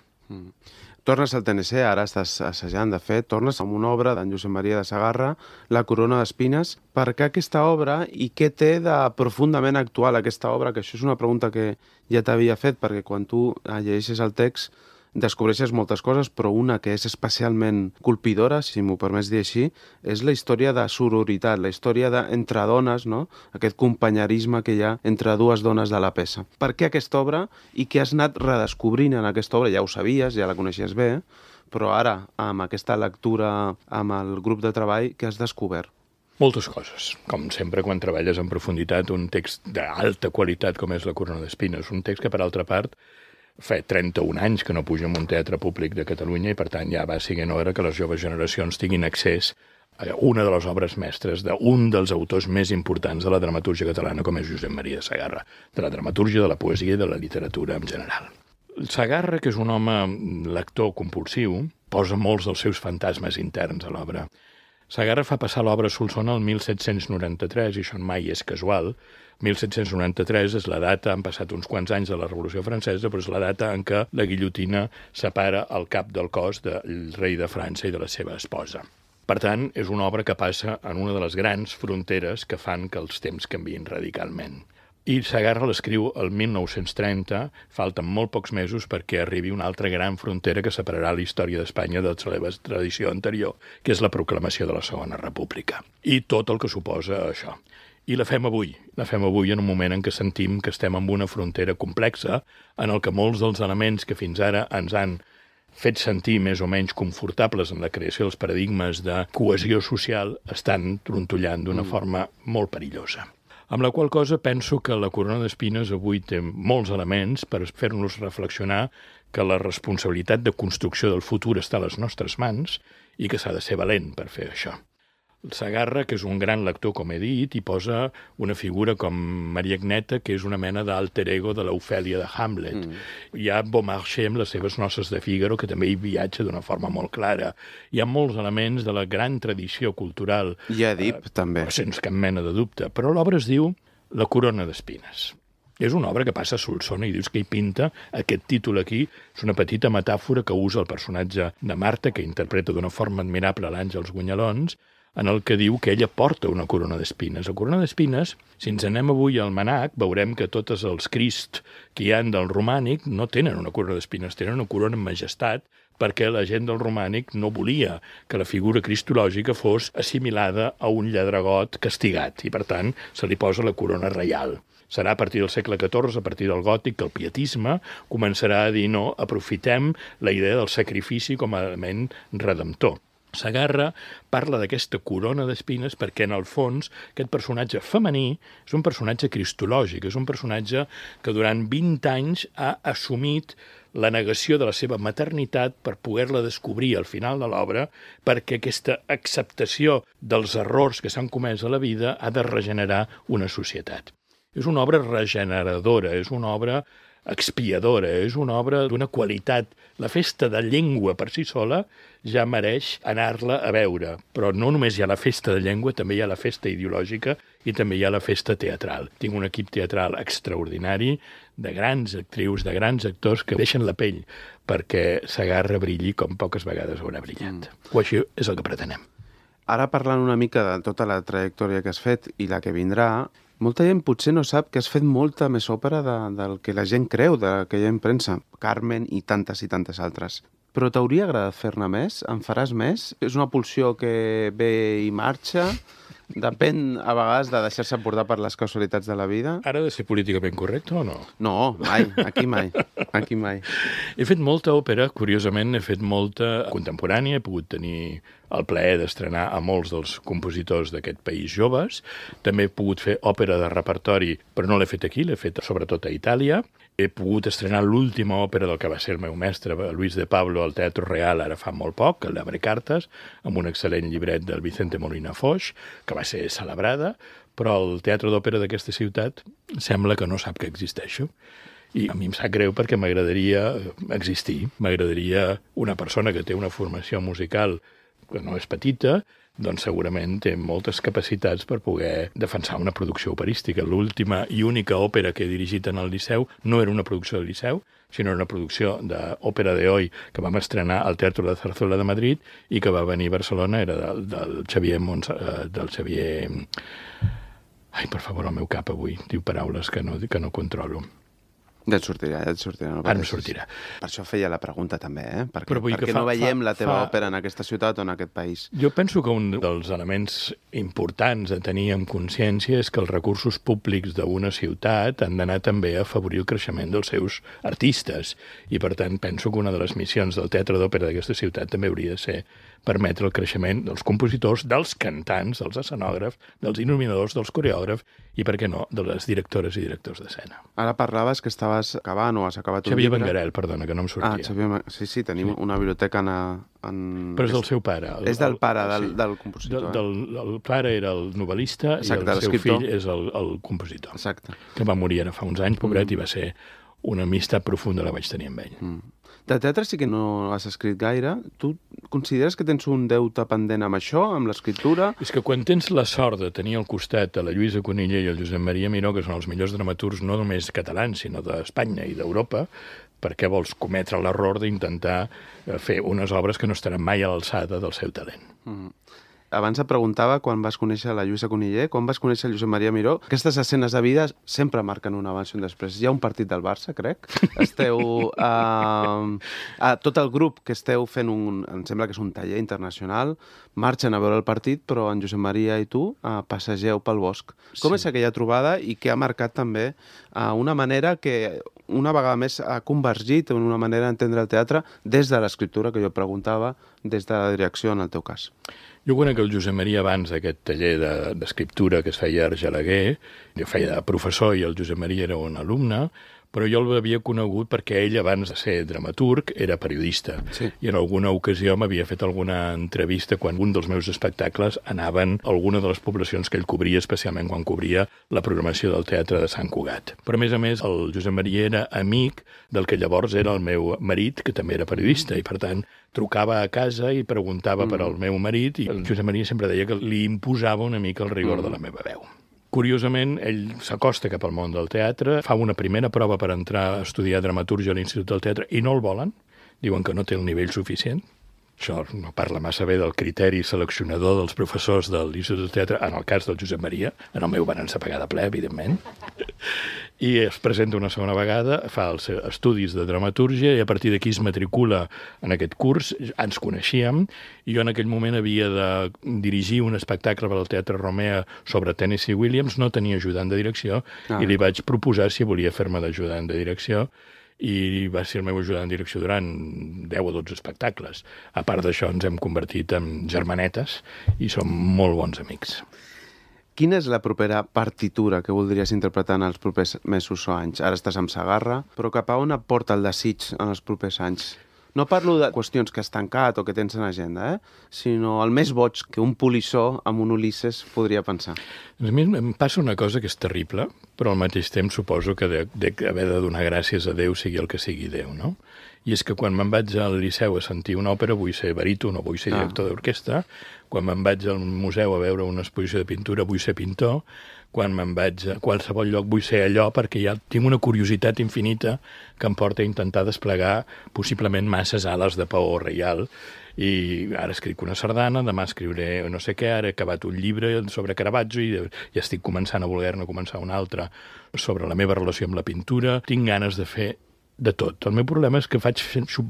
Tornes al TNC, ara estàs assajant, de fet, tornes amb una obra d'en Josep Maria de Sagarra, La corona d'espines. Per què aquesta obra i què té de profundament actual aquesta obra? Que això és una pregunta que ja t'havia fet, perquè quan tu llegeixes el text descobreixes moltes coses, però una que és especialment colpidora, si m'ho permets dir així, és la història de sororitat, la història entre dones, no? Aquest companyerisme que hi ha entre dues dones de la peça. Per què aquesta obra i què has anat redescobrint en aquesta obra? Ja ho sabies, ja la coneixies bé, però ara, amb aquesta lectura amb el grup de treball, què has descobert? Moltes coses. Com sempre, quan treballes en profunditat un text d'alta qualitat com és La corona d'espines, un text que, per altra part, fa 31 anys que no puja en un teatre públic de Catalunya i, per tant, ja va sent hora que les joves generacions tinguin accés a una de les obres mestres d'un dels autors més importants de la dramatúrgia catalana, com és Josep Maria de Sagarra, de la dramatúrgia, de la poesia i de la literatura en general. Sagarra, que és un home lector compulsiu, posa molts dels seus fantasmes interns a l'obra. Segarra fa passar l'obra a Solsona el 1793, i això mai és casual. 1793 és la data, han passat uns quants anys de la Revolució Francesa, però és la data en què la guillotina separa el cap del cos del rei de França i de la seva esposa. Per tant, és una obra que passa en una de les grans fronteres que fan que els temps canviïn radicalment. I Segarra l'escriu el 1930, falten molt pocs mesos perquè arribi una altra gran frontera que separarà la història d'Espanya de la seva tradició anterior, que és la proclamació de la Segona República. I tot el que suposa això. I la fem avui en un moment en què sentim que estem en una frontera complexa, en el que molts dels elements que fins ara ens han fet sentir més o menys confortables en la creació dels paradigmes de cohesió social estan trontollant d'una forma molt perillosa. Amb la qual cosa penso que la corona d'espines avui té molts elements per fer-nos reflexionar que la responsabilitat de construcció del futur està a les nostres mans i que s'ha de ser valent per fer això. Segarra, que és un gran lector, com he dit, hi posa una figura com Maria Agneta, que és una mena d'alter ego de l'Ofèlia de Hamlet. Hi ha Beaumarchais amb les seves noces de Fígaro, que també hi viatja d'una forma molt clara. Hi ha molts elements de la gran tradició cultural. I Èdip, també. Sense cap mena de dubte. Però l'obra es diu La corona d'espines. És una obra que passa a Solsona i dius que hi pinta aquest títol aquí. És una petita metàfora que usa el personatge de Marta, que interpreta d'una forma admirable l'Àngels Guanyalons, en el que diu que ella porta una corona d'espines. La corona d'espines, si ens anem avui al Manac, veurem que tots els Crist que hi ha del romànic no tenen una corona d'espines, tenen una corona amb majestat, perquè la gent del romànic no volia que la figura cristològica fos assimilada a un lladregot castigat, i per tant se li posa la corona reial. Serà a partir del segle XIV, a partir del gòtic, que el pietisme començarà a dir no, aprofitem la idea del sacrifici com a element redemptor. Segarra parla d'aquesta corona d'espines perquè, en el fons, aquest personatge femení és un personatge cristològic, és un personatge que durant 20 anys ha assumit la negació de la seva maternitat per poder-la descobrir al final de l'obra, perquè aquesta acceptació dels errors que s'han comès a la vida ha de regenerar una societat. És una obra regeneradora, és una obra expiadora, és una obra d'una qualitat. La festa de llengua per si sola ja mereix anar-la a veure, però no només hi ha la festa de llengua, també hi ha la festa ideològica i també hi ha la festa teatral. Tinc un equip teatral extraordinari, de grans actrius, de grans actors que deixen la pell perquè Segarra brilli com poques vegades haurà brillat. O així és el que pretenem. Ara, parlant una mica de tota la trajectòria que has fet i la que vindrà, molta gent potser no sap que has fet molta més òpera del que la gent creu, de que hi ha en premsa. Carmen i tantes altres. Però t'hauria agradat fer-ne més? En faràs més? És una pulsió que ve i marxa? Depèn, a vegades, de deixar-se portar per les casualitats de la vida? Ara de ser políticament correcte o no? No, mai. Aquí mai. Aquí mai. He fet molta òpera, curiosament, he fet molta contemporània, he pogut tenir el plaer d'estrenar a molts dels compositors d'aquest país joves. També he pogut fer òpera de repertori, però no l'he fet aquí, l'he fet sobretot a Itàlia. He pogut estrenar l'última òpera del que va ser el meu mestre, Luis de Pablo, al Teatro Real, ara fa molt poc, el d'Abre Cartes, amb un excel·lent llibret del Vicente Molina Foix, que va ser celebrada, però el teatre d'òpera d'aquesta ciutat sembla que no sap que existeixo. I a mi em sap greu perquè m'agradaria existir, m'agradaria una persona que té una formació musical que no és petita, doncs segurament té moltes capacitats per poder defensar una producció operística. L'última i única òpera que he dirigit en el Liceu no era una producció del Liceu, sinó una producció d'òpera de hoy que vam estrenar al Teatro de Zarzuela de Madrid i que va venir a Barcelona, era del Xavier del Xavier... Ai, per favor, el meu cap avui diu paraules que no controlo. Ja et sortirà. No Ara em sortirà. Per això feia la pregunta també, Però perquè no veiem la teva òpera en aquesta ciutat o en aquest país. Jo penso que un dels elements importants a tenir en consciència és que els recursos públics d'una ciutat han d'anar també a afavorir el creixement dels seus artistes. I, per tant, penso que una de les missions del teatre d'òpera d'aquesta ciutat també hauria de ser permetre el creixement dels compositors, dels cantants, dels escenògrafs, dels il·luminadors, dels coreògrafs i, per què no, de les directores i directors d'escena. Ara parlaves que estaves acabant o has acabat un Xavier llibre. Benguerel, perdona, que no em sortia. Sí, tenim una biblioteca en... Però és del seu pare. És del pare, del compositor. El pare era el novel·lista. Exacte, i el seu fill és el compositor. Exacte. Que va morir ara fa uns anys, pobret, i va ser una amistat profunda la vaig tenir amb ell. De teatre sí que no has escrit gaire. Tu consideres que tens un deute pendent amb això, amb l'escriptura? És que quan tens la sort de tenir al costat a la Lluïsa Cunillé i el Josep Maria Miró, que són els millors dramaturgs no només catalans, sinó d'Espanya i d'Europa, per què vols cometre l'error d'intentar fer unes obres que no estaran mai a l'alçada del seu talent? Abans et preguntava quan vas conèixer la Lluïsa Cunillé, quan vas conèixer el Josep Maria Miró. Aquestes escenes de vida sempre marquen un abans i un després. Hi ha un partit del Barça, crec. Esteu... tot el grup que esteu fent em sembla que és un taller internacional, marxen a veure el partit, però en Josep Maria i tu passegeu pel bosc. Com és aquella trobada i que ha marcat també una manera que una vegada més ha convergit en una manera d'entendre el teatre des de l'escriptura, que jo preguntava, des de la direcció, en el teu cas? Jo conec el Josep Maria abans d'aquest taller d'escriptura que es feia a Argelaguer. Jo feia de professor i el Josep Maria era un alumne, però jo l'havia conegut perquè ell, abans de ser dramaturg, era periodista. Sí. I en alguna ocasió m'havia fet alguna entrevista quan un dels meus espectacles anaven a alguna de les poblacions que ell cobria, especialment quan cobria la programació del Teatre de Sant Cugat. Però, a més, el Josep Maria era amic del que llavors era el meu marit, que també era periodista, i per tant trucava a casa i preguntava per al meu marit, i el Josep Maria sempre deia que li imposava una mica el rigor de la meva veu. Curiosament, ell s'acosta cap al món del teatre, fa una primera prova per entrar a estudiar dramatúrgia a l'Institut del Teatre i no el volen, diuen que no té el nivell suficient. Això no parla massa bé del criteri seleccionador dels professors de l'Institut del Teatre, en el cas del Josep Maria, en el meu van ensapegar de ple, evidentment, i es presenta una segona vegada, fa els estudis de dramatúrgia i a partir d'aquí es matricula en aquest curs. Ens coneixíem i jo en aquell moment havia de dirigir un espectacle per al Teatre Romea sobre Tennessee Williams, no tenia ajudant de direcció i li vaig proposar si volia fer-me d'ajudant de direcció i va ser el meu ajudant de direcció durant 10 o 12 espectacles. A part d'això ens hem convertit en germanetes i som molt bons amics. Quina és la propera partitura que voldries interpretar en els propers mesos o anys? Ara estàs amb Segarra, però cap a on et porta el desig en els propers anys? No parlo de qüestions que has tancat o que tens en agenda, sinó el més boig que un polissó amb un Ulisses podria pensar. A mi em passa una cosa que és terrible, però al mateix temps suposo que haver de donar gràcies a Déu sigui el que sigui Déu, no? I és que quan me'n vaig al Liceu a sentir una òpera vull ser baríton o vull ser director d'orquestra, quan me'n vaig al museu a veure una exposició de pintura vull ser pintor, quan me'n vaig a qualsevol lloc vull ser allò perquè ja tinc una curiositat infinita que em porta a intentar desplegar possiblement masses ales de paó reial. I ara escric una sardana, demà escriuré no sé què, ara he acabat un llibre sobre Caravaggio i ja estic començant a voler-ne començar un altre sobre la meva relació amb la pintura. Tinc ganes de fer de tot. El meu problema és que faig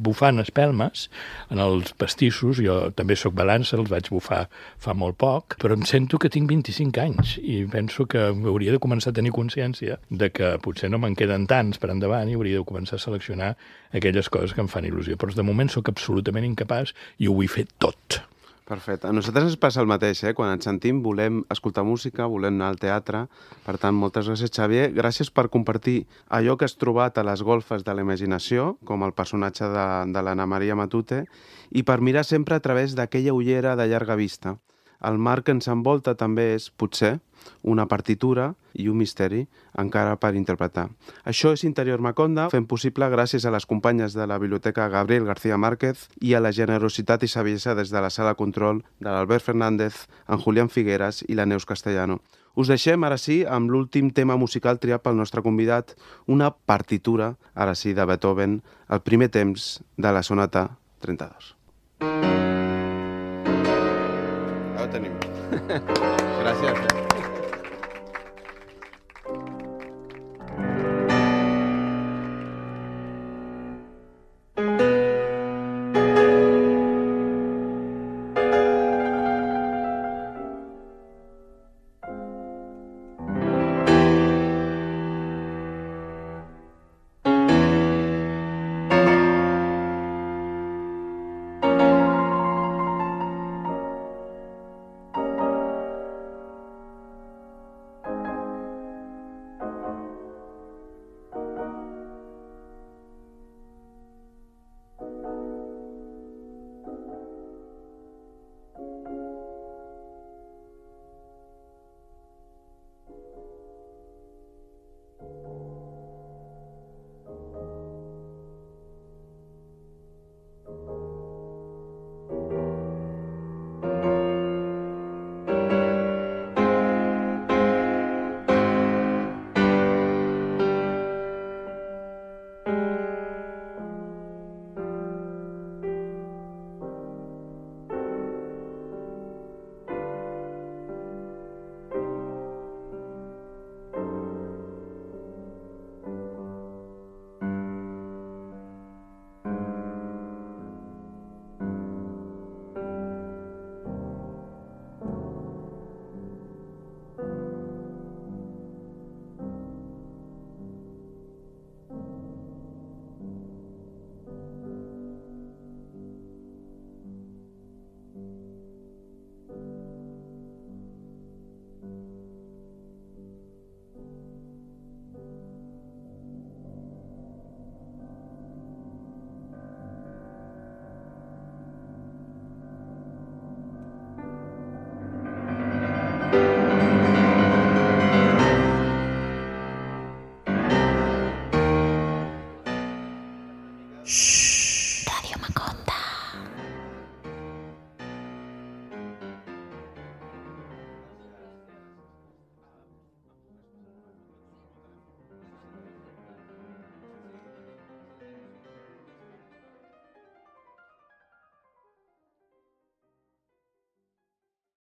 bufant espelmes en els pastissos, jo també sóc balança, els vaig bufar fa molt poc, però em sento que tinc 25 anys i penso que hauria de començar a tenir consciència de que potser no me'n queden tants per endavant i hauria de començar a seleccionar aquelles coses que em fan il·lusió. Però de moment sóc absolutament incapaç i ho vull fer tot. Perfecte. A nosaltres ens passa el mateix, Quan ens sentim volem escoltar música, volem anar al teatre. Per tant, moltes gràcies, Xavier. Gràcies per compartir allò que has trobat a les golfes de la imaginació, com el personatge de l'Anna Maria Matute, i per mirar sempre a través d'aquella ullera de llarga vista. El mar que ens envolta també és, potser, una partitura i un misteri encara per interpretar. Això és Interior Macondo, fent possible gràcies a les companyes de la Biblioteca Gabriel García Márquez i a la generositat i saviesa des de la sala control de l'Albert Fernández, en Julián Figueras i la Neus Castellano. Us deixem, ara sí, amb l'últim tema musical triat pel nostre convidat, una partitura, ara sí, de Beethoven, el primer temps de la sonata 32. Ja ho tenim. Gràcies.